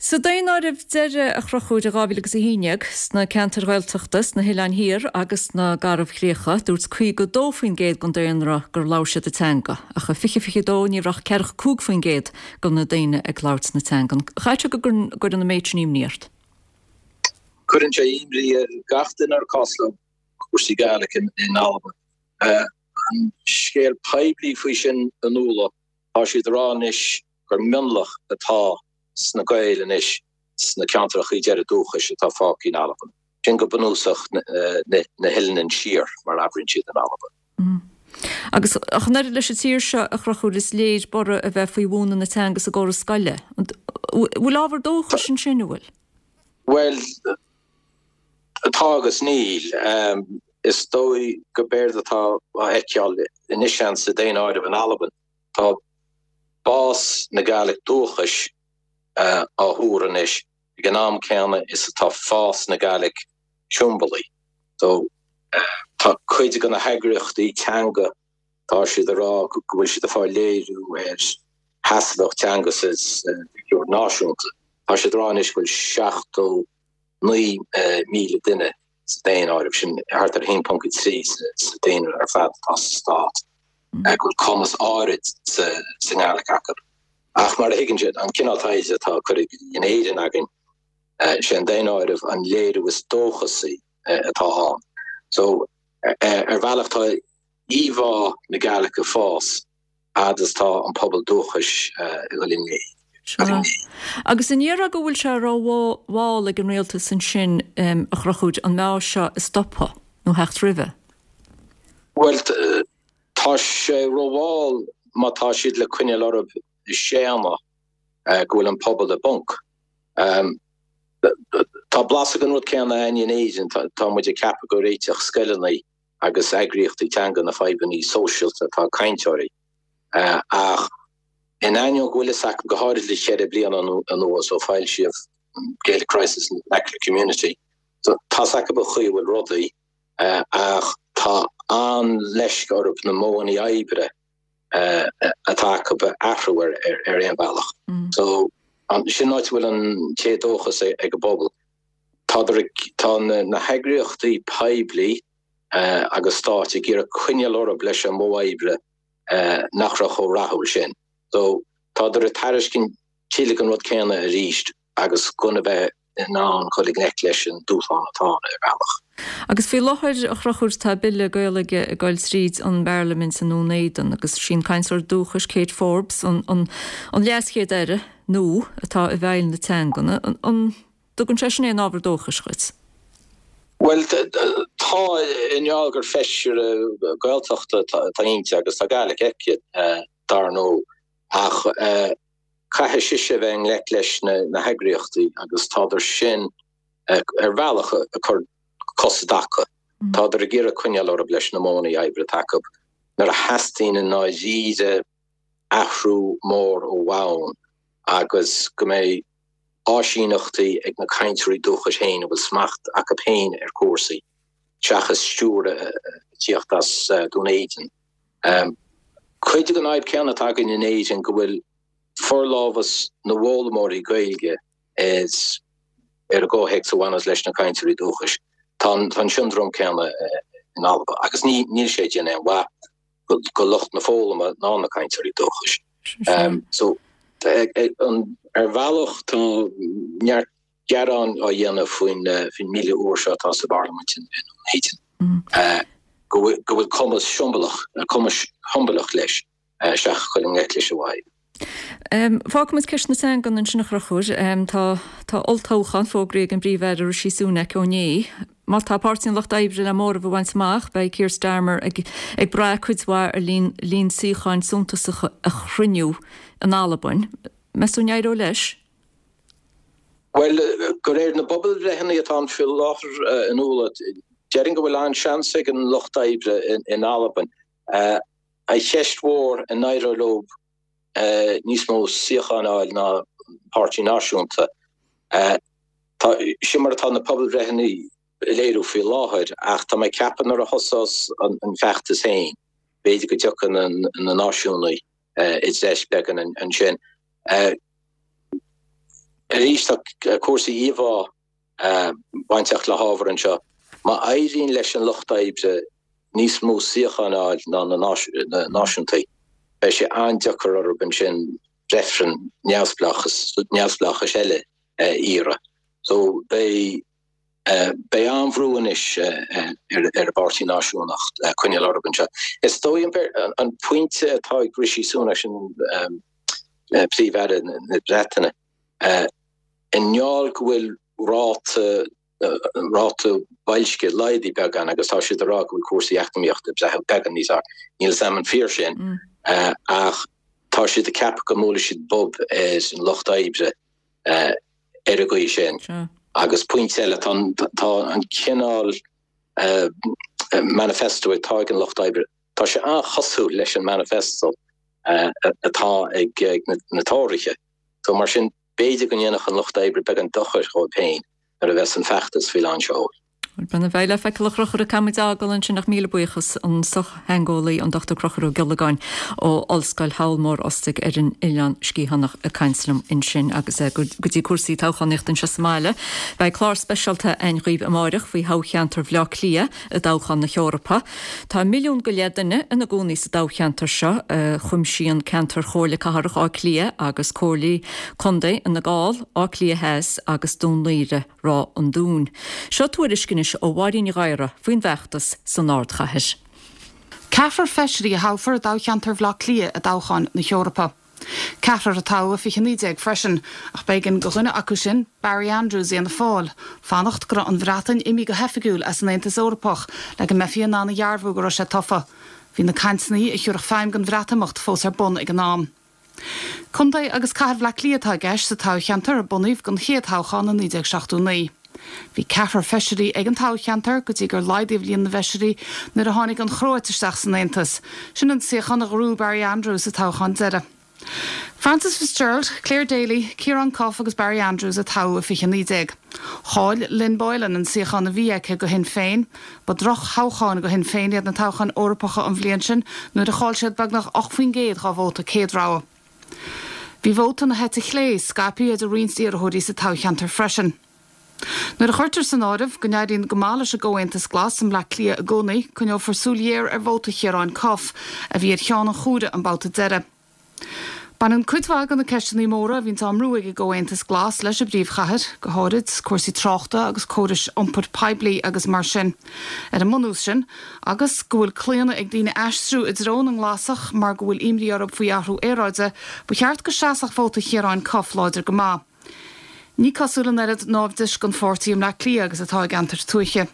Sa daonáireamh deiridh a Chonchúir i dhá mhíle agus a haon déag sna ceantair Ghaeltachta, sna hOileáin Thiar agus sna Garbhchríocha, dúirt caoga dó faoin gcéad den daonra gur labhair siad an teanga, ach i fiche fiche dó ní raibh ach ceathracha cúig faoin gcéad de na daoine ag labhairt na teangan. Caithfidh sé go gcuireann an méid sin imní ort? Cuireann sé imní ar gach duine ar cás leo cúrsaí Gaelic in Albain. An scéal poiblí faoi sin a Nuala, tá siad ag rá anois gur mionlach atá sna Gaeil anois sna ceantracha deiridh dúchais atá fágtha in Albain. Sin go bunúsach na hOileáin Siar, mar a abraíonn siad in Albain. Agus ach an oiread leis an tír seo a Chonchúir is léir borradh a bheith faoi mhúineadh na teanga sa gcóras scoile. An bhfuil ábhar dóchais ansin, an bhfuil? Bhuel, tá agus níl. Is dóigh go b'éard atá á fheiceáil anois sa daonáireamh in Albain, tá bás na Gàidhlig dúchais á thuar anois ag an am céanna is atá fás na Gàidhlig siombalaí. So tá cuid de na heagraíochtaí teanga, tá siad ag rá go bhfuil siad ag fáil léiriú ar sheasmhacht teanga sa phictiúr náisiúnta. Tá siad ag rá anois go bhfuil seachtó naoi míle duine sa daonáireamh, sin thart ar a haon ponc a trí sa daonra ar fad atá sa stát, go bhfuil cumas áirid sa nGàidhlig acu. Ach mar a thuigeann siad, an cineál taighde atá curtha in Éirinn againn, sé an daonáireamh an léiriú is dóchasaí atá ann. So, ar bhealach tá íomhá na Gàidhlig ag fás fhad is tá an pobal dúchais ag dul in éag. Sea. Agus an ndéarfá go bhfuil sé rómhall ag an rialtas ansin a Chonchúir an meath seo a stopadh nó theacht roimhe? Bhuel, tá sé rómhall má tá siad le coinneáil orthu ag séanadh go bhfuil an pobal i bponc. Tá blas den rud céanna againn in Éirinn, tá muid ag ceapadh go réiteodh scoileanna agus eagraíochtaí teanga na fadhbanna sóisialta atá ag cainteoirí. Ach in ainneoin go bhfuil fhios acu, go háirid le ceithre bliana anuas ó foilsíodh Gaelic Crisis in the Vernacular Community, tá fhios acu an chaoi a bhfuil rudaí ach tá an-leisce orthu na modhanna oibre atá acu a athrú ar aon bhealach. So sin an áit a bhfuil an t-éadóchas ag an bpobal. Tá tá na heagraíochtaí poiblí agus stáit ag iarraidh coinneáil orthu leis an modh oibre nach raibh chomh rathúil sin. So tádar ag tairiscint tuilleadh den rud céanna arís agus gan a bheith in ann dul i ngleic leis an dúshlán atá ann ar bhealach. Agus faoi láthair, a Chonchúir, tá Bille Gaeilge ag goil tríd an bParlaimint i nDún Éideann agus sí an cainteoir dúchais Kate Forbes an an leaschéad-aire nua atá i bhfeighil na teangan. An dtugann sé sin aon ábhar dóchais dhuit? Bhuel, tá, i ngeall gur feisire Gaeltachta atá inti agus tá Gaelic aici, dar ndóigh, ach caithfidh sise a bheith i ngleic leis na heagraíochtaí agus tádar sin ar bhealach ag cur cos i dtaca. Tádar ag iarraidh coinneáil orthu leis na modhanna oibre atá acu nuair a theastaíonn i ndáiríre athrú mór ó bhonn agus go mbeidh áisíneachtaí ag na cainteoirí dúchais féin a bhfuil smacht acu féin ar chúrsaí seachas stiúir ag tíocht as Dún Éideann. Cuid den fhadhb céanna atá againn in Éirinn go bhfuil forlámhas na bhfoghlaimeoirí Gaeilge is ar an gcomhthéacs a bhaineas leis na cainteoirí dúchais. Tá an siondróm céanna in Alba agus níl sé ag déanamh aon mhaith go lucht na foghlama ná na cainteoirí dúchais. So ar bhealach tá neart gearán á dhéanamh faoin mbille úr seo atá sa bParlaimint in Dún Éideann, go bhfuil cuma siombalach, cuma shiombalach leis seachas dul i ngleic leis an bhfadhb. Fágfaimid ceist na teangan ansin a Chonchúir. Tá tá olltoghchán fógraithe ag an bPríomh-Aire Rishi Sunak ó inné. Má tá Páirtí an Lucht Oibre le móramh a bhaint amach, beidh Keir Starmer ag ag brath cuid mhaith ar líon líon suíocháin suntasacha a chruinniú in Albain. Meas tú an éireoidh leis? Bhuel, de réir na bpobalbhreitheanna atá ann faoi láthair a Nuala, déarfainn go bhfuil an-seans ag an Lucht Oibre in Albain. An cheist mhór an éireoidh leo níos mó suíochán a fháil ná an Páirtí Náisiúnta. Tá, sin mar atá na pobalbhreitheanna ag léiriú faoi láthair, ach tá mé ag ceapadh nuair a thosós an feachtas féin, b'fhéidir go dtiocfaidh na náisiúnaigh i dtreis beagán ansin. Arís tá cúrsaí íomhá bainteach le hábhar anseo. Má éiríonn leis an Lucht Oibre níos mó suíochán a fháil ná na náisiúntaigh, beidh sé an-deacair orthu ansin reifreann neamhspleáchais eile a iarraidh. So beidh beidh an-bhrú anois ar an bPáirtí Náisiúnach coinneáil orthu anseo. Is dóigh an pointe atá ag Rishi Sunak, sin Príomh-Aire na Breataine, i ngeall go bhfuil ráta ráta boilscithe laghdaithe beagán agus tá siad ag rá go bhfuil cúrsaí eacnamaíochta ag breathnú beagán níos fearr. Níl a fhios agam an fíor sin ach tá siad ag ceapadh go mbuailfidh siad bob ar an lucht oibre ar an gcaoi sin. Agus pointe eile, tá an cineál manifesto atá ag an lucht oibre, tá sé an-chosúil leis an manifesto atá ag na Tóraithe. So mar sin, b'fhéidir go ndéanfadh an lucht oibre beagán dochair dhóibh féin nuair a bheas an feachtas faoi lán seoil. Bhuel, beidh le feiceáil a Chonchúir, caithfidh muid é a fhágáil ansin ach míle buíochas an sochtheangeolaí an Dochtúir Conchúr Ó Giollagáin ó Ollscoil Shabhal Mór Ostaig ar an Oileán Sciathánach ag caint liom ansin agus go dtí cúrsaí toghchánaíochta anseo sa mbaile. Beidh clár speisialta againn dhaoibh amáireach faoi thoghcheantar Bhaile Átha Cliath i dtoghchán na hEorpa. Tá milliún go leith duine ina gcónaí sa dtoghcheantar seo a chuimsíonn ceantar Chomhairle Cathrach Átha Cliath agus Comhairlí Contae Fhine Gall, Áth Cliath Theas agus Dún Laoghaire Ráth an Dúin. Seo tuairisc anois ó Mháirín Ní Ghadhra faoin bhfeachtas san ardchathair. Ceathrar feisirí a thoghfar i dtoghcheantar Bhaile Átha Cliath i dtoghchán na hEorpa. Ceathrar a toghadh i fiche naoi déag freisin, ach b'éigean do dhuine acu sin, Barry Andrews Fhianna Fáil, fanacht go raibh an Bhreatain imithe go hoifigiúil as an Aontas Eorpach le go mbeifí in ann a dhearbhú go raibh sé tofa. Bhí na cainteanna a thiúrfadh feidhm don Bhreatimeacht fós ar bun ag an am. Contae agus Cathair Bhaile Átha Cliath atá i gceist sa toghcheantar a bunaíodh don chéad toghchán i naoi déag seachtó naoi. Bhí ceathrar feisirí ag an toghcheantar go dtí gur laghdaíodh líon na bhfeisirí nuair a tháinig an Chróit isteach san Aontas. Sin an suíochán a ghnóthaigh Barry Andrews sa toghchán deiridh. Frances Fitzgerald, Clare Daly, Ciarán Cuffe agus Barry Andrews a toghadh i fiche naoi déag. Chaill Lynn Boylan an suíochán a bhí aici do Shinn Féin. Ba droch-thoghcháin do Shinn Féin iad na toghcháin Eorpacha an bhliain sin nuair a chaill siad beagnach ocht faoin gcéad dá vóta céad rogha. Bhí vóta na heite chlé scaipthe idir roinnt iarrthóirí sa toghcheantar freisin. Nuair a chuirtear san áireamh go n-éiríonn go maith leis an gComhaontas Glas i mBleá Cliath i gcónaí, coinneofar súil ghéar ar vóta Chiaráin Cuffe, a bhí ar cheann an chomhairimh an babhta deiridh. Baineann cuid mhaith de na ceisteanna móra a bhíonns á mbrú ag an gComhaontas Glas leis an bpríomhchathair, go háirid cúrsaí tráchta agus córais iompair poiblí agus mar sin. Ar an mbunús sin, agus go bhfuil claonadh ag daoine aistriú i dtreo na nGlasach mar go bhfuil imní orthu faoi athrú aeráide, ba cheart go seasfadh vóta Chiaráin Cuffe láidir go maith. Ní cosúil an oiread naimhdis don pháirtí i mBleá Cliath agus atá i gceantair tuaithe.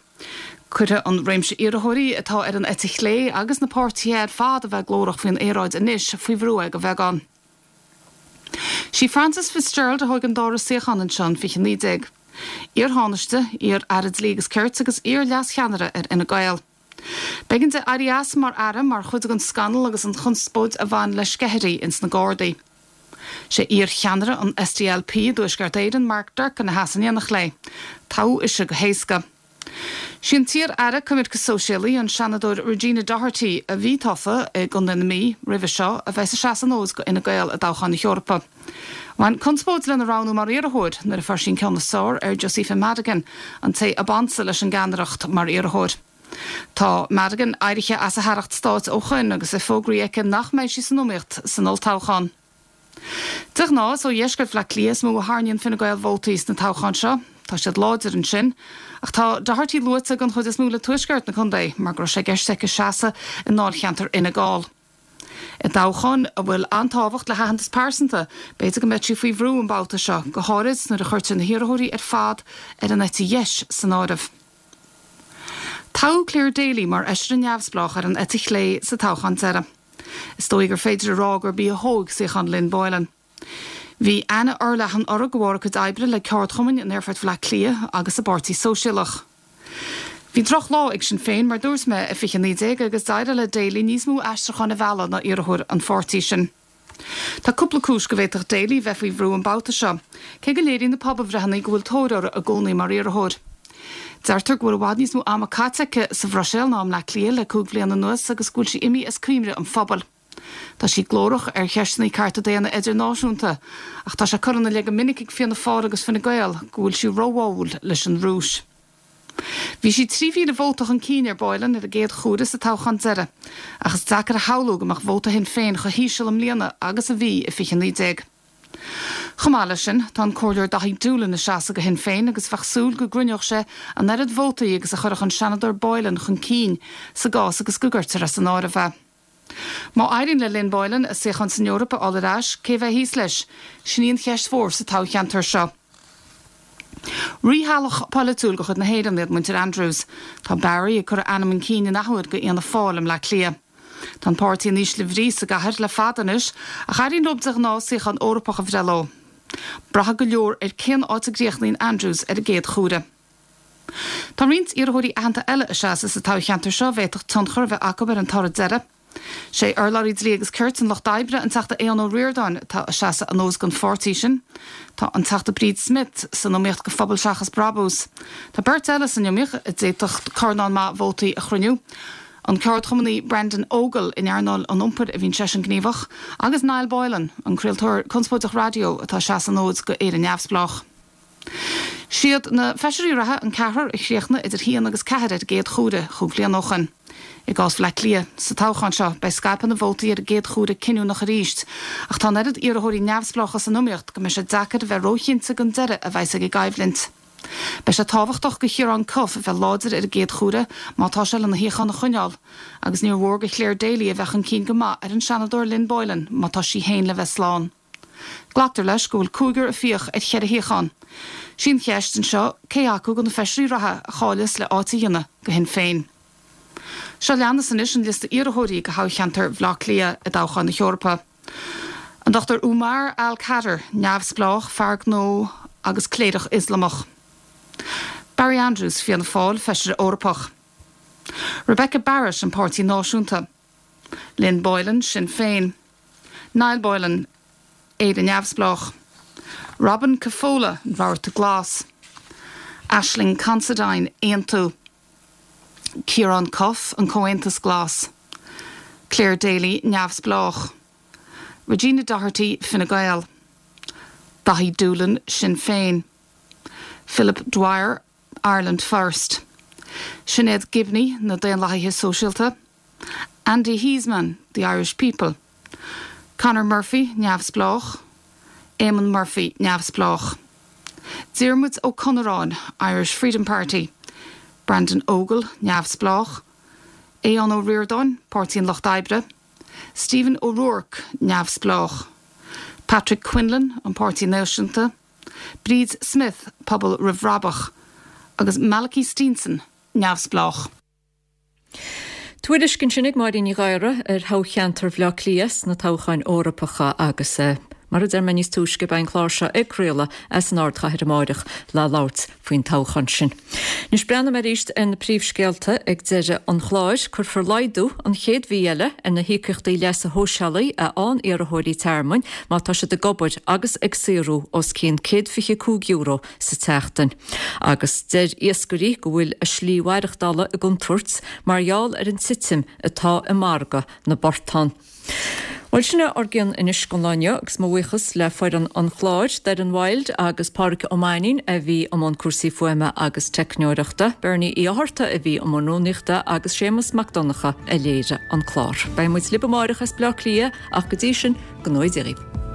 Cuirfidh an réimse iarrthóirí atá ar an eite chlé agus na páirtithe ar fad a bheith glórach faoin aeráid anois faoi bhrú é de bheagán. Sí Frances Fitzgerald a thóg an dara suíochán anseo in fiche naoi déag. Iar-Thánaiste, iar-Aire Dlí agus Cirt agus iar-Leas-Cheannaire ar Fhine Gael. B'éigean di éirí as mar Aire mar chuid den scannal agus an chonspóid a bhain le sceithirí ins na Gardaí. Sé iar-cheannaire an S D L P i dTuaisceart Éireann, Mark Durkan a sheas in éineacht léi. Toghadh ise go héasca. Sí an t-iar-aire coimirce sóisialaí, an Seanadóir Regina Doherty, a bhí tofa i gContae na Mí roimhe seo, a bheas ag seasamh an fhóid do Fhine Gael i dtoghchán na hEorpa. Bhain conspóid lena roghnú mar iarrthóir nuair a fuair sí an ceann is fearr ar Josepha Madigan, an té ab ansa leis an gceannaireacht mar iarrthóir. Tá Madigan éirithe as a haireacht stáit ó shoin agus é fógraithe aici nach mbeidh sí san iomaíocht san olltoghchán. De ghnáth, is ó dheisceart Bhaile Átha Cliath is mó a tharraingíonn Fine Gael vótaí sna toghcháin seo. Tá siad láidir ansin. Ach tá Doherty luaite den chuid is mó le tuaisceart na contae mar go raibh sé i gceist aici seasamh i ndáilcheantar Fhine Gall. I dtoghchán a bhfuil an-tábhacht le haitheantas pearsanta, b'fhéidir go mbeidh sí faoi bhrú an babhta seo, go háirid nuair a chuirtear na hiarrthóirí ar fad ar an eite dheis san áireamh. Toghadh Clare Daly mar fheisire neamhspleách ar an eite chlé sa toghchán deiridh. Is dóigh gur féidir a rá gurb í a thóg suíochán Lynn Boylan. Bhí aithne fhorleathan uirthi de bharr a cuid oibre le ceardchumainn in Aerfort Bhaile Átha Cliath agus sa bPáirtí Sóisialach. Bhí drochlá ag Sinn Féin, mar dúirt mé, i fiche naoi déag agus d'éirigh le Daly níos mó aistriúchán a mhealladh ná iarrthóir an pháirtí sin. Tá cúpla cúis go bhféadfadh Daly bheith faoi bhrú an babhta seo, cé go léiríonn na pobalbhreitheanna go bhfuil tóir uirthi i gcónaí mar iarrthóir. Deirtear go bhfuil i bhfad níos mó ama caite aici sa Bhruiséil ná i mBleá Cliath le cúig bhliain anuas agus go bhfuil sí imithe as cuimhne an phobail. Tá sí glórach ar cheisteanna cearta daonna idirnáisiúnta, ach tá sé curtha ina leith go minic ag Fianna Fáil agus Fine Gael go bhfuil sí róbháúil leis an Rúis. Bhí sí trí mhíle vóta chun cinn ar Boylan ar an gcéad chuaire sa toghchán deiridh, ach is deacair a shamhlú go mbeadh vóta Shinn Féin chomh híseal i mbliana agus a bhí i fiche naoi déag. Chomh maith leis sin, tá an Comhairleoir Daithí Doolan ag seasamh do Shinn Féin agus bheadh súil go gcruinneodh sé an oiread vótaí agus a chuirfeadh an Seanadóir Boylan chun cinn sa gcás agus go gcuirtear as an áireamh é. Má éiríonn le Lynn Boylan a suíochán san Eoraip a fháil ar ais, cé a bheidh thíos leis? Sin í an cheist mhór sa toghcheantar seo. Rítheaghlach polaitiúil de chuid na hÉireann iad muintir Andrews. Tá Barry ag cur a ainm chun cinn in athuair do Fhianna Fáil i mBleá Cliath. Tá an páirtí in ísle bhrí sa gcathair le fada anois, ach éiríonn leo de ghnáth suíochán Eorpach a bhreith leo. Braithfidh go leor ar cén áit a gcríochnaíonn Andrews ar an gcéad chuaire. Tá roinnt iarrthóirí aitheanta eile ag seasamh sa toghcheantar seo a bhféadfadh tionchar a bheith acu ar an toradh deiridh. Sé urlabhraí Dlí agus Cirt an Lucht Oibre, an Teachta Aodhán Ó Ríordáin, atá ag seasamh an fhód don pháirtí sin. Tá an Teachta Bríd Smith san iomaíocht do Phobal Seachas Brabús. Tá beirt eile san iomaíocht a d'fhéadfadh cornán maith vótaí a chruinniú, an ceardchumannaí Brendan Ogle, in earnáil an iompair a bhíonn seisean gníomhach, agus Niall Boylan, an craoltóir conspóideach raidió atá ag seasamh an fhóid do Éire Neamhspleách. Siad na feisirí reatha an ceathrar a chríochnaigh idir haon agus ceathair ar an gcéad chuaire chúig bhliana ó shoin. I gcás Bhaile Átha Cliath, sa toghchán seo, beidh scaipeadh na vótaí ar an gcéad chuaire cinniúnach arís, ach tá an oiread iarrthóirí neamhspleácha san iomaíocht go mbeidh sé deacair a bheith róchinnte den deireadh a bheas ag an gcoimhlint. Beidh sé tábhachtach do Chiarán Cuffe a bheith láidir ar an gcéad chuaire má tá sé lena shuíochán a choinneáil, agus níor mhór do Clare Daly a bheith chun cinn go maith ar an Seanadóir Lynn Boylan má tá sí féin le bheith slán. Glactar leis go bhfuil cúigear ag fiach ar cheithre shuíochán. Sí an cheist anseo cé acu de na feisirí reatha a cháileos le áit a dhéanamh do Shinn Féin. Seo leanas anois an liosta iarrthóirí do thoghcheantar Bhaile Átha Cliath i dtoghchán na hEorpa. An Dochtúir Umar Al Kader, neamhspleách, fear gnó agus cléireach Ioslamach. Barry Andrews, Fianna Fáil, feisire Eorpach. Rebecca Barrett, an Páirtí Náisiúnta. Lynn Boylan, Sinn Féin. Niall Boylan, Éire Neamhspleách. Robin Cafolla, an Rabharta Glas. Aisling Considine, Aontú. Ciarán Cuffe, an Comhaontas Glas. Clare Daly, Neamhspleách. Regina Doherty, Fine Gael. Daithí Doolan, Sinn Féin. Philip Dwyer, Ireland First. Sinéad Gibney, na Daonlathaithe Sóisialta. Andy Heasman, The Irish People. Conor Murphy, Neamhspleách. Eamon Murphy, Neamhspleách. Diarmuid Ó Conneráin, Irish Freedom Party. Brandon Ogle, Neamhspleách. Aodhán Ó Ríordáin, Páirtí an Lucht Oibre. Stephen O'Rourke, Neamhspleách. Patrick Quinlan, an Páirtí Náisiúnta. Bríd Smith, Pobal Roimh Bhrabach. Agus Malachy Steenson, Neamhspleách. Tuairisc ansin ag Máirín Ní Ghadhra ar thoghcheantar Bhaile Átha Cliath sna toghcháin Eorpacha agus mar a deir mé níos túisce beidh an clár seo ag craoladh as an ardchathair amárach le labhairt faoin toghchán sin. Anois breathnóidh mé arís ar na príomhscéalta ag deireadh an chláir. Cuirfear laghdú an chéad mhí eile ar na híocaíochtaí leasa shóisialaigh a fhaigheann iarrthóirí tearmainn má tá siad ag obair agus ag saothrú os cionn céad fiche cúig euro sa tseachtain. Agus deir iascairí go bhfuil a slí mhaireachtála i gcontúirt mar gheall ar an titim atá i margadh na bportán. Bhuel sin é ár gcion anois don lá inniu agus mo bhuíochas le foireann an chláir, Doireann Wild agus Pádraig Ó Mainnín a bhí i mbun cúrsaí fuaime agus teicneoireachta, Bernie Uí Fhátharta a bhí i mbun rúnaíochta agus Séamus Mac Donncha a léirigh an clár. Beidh muid libh amárach as Baile Átha Cliath ach go dtí sin, go ngnóthaí Dia dhaoibh.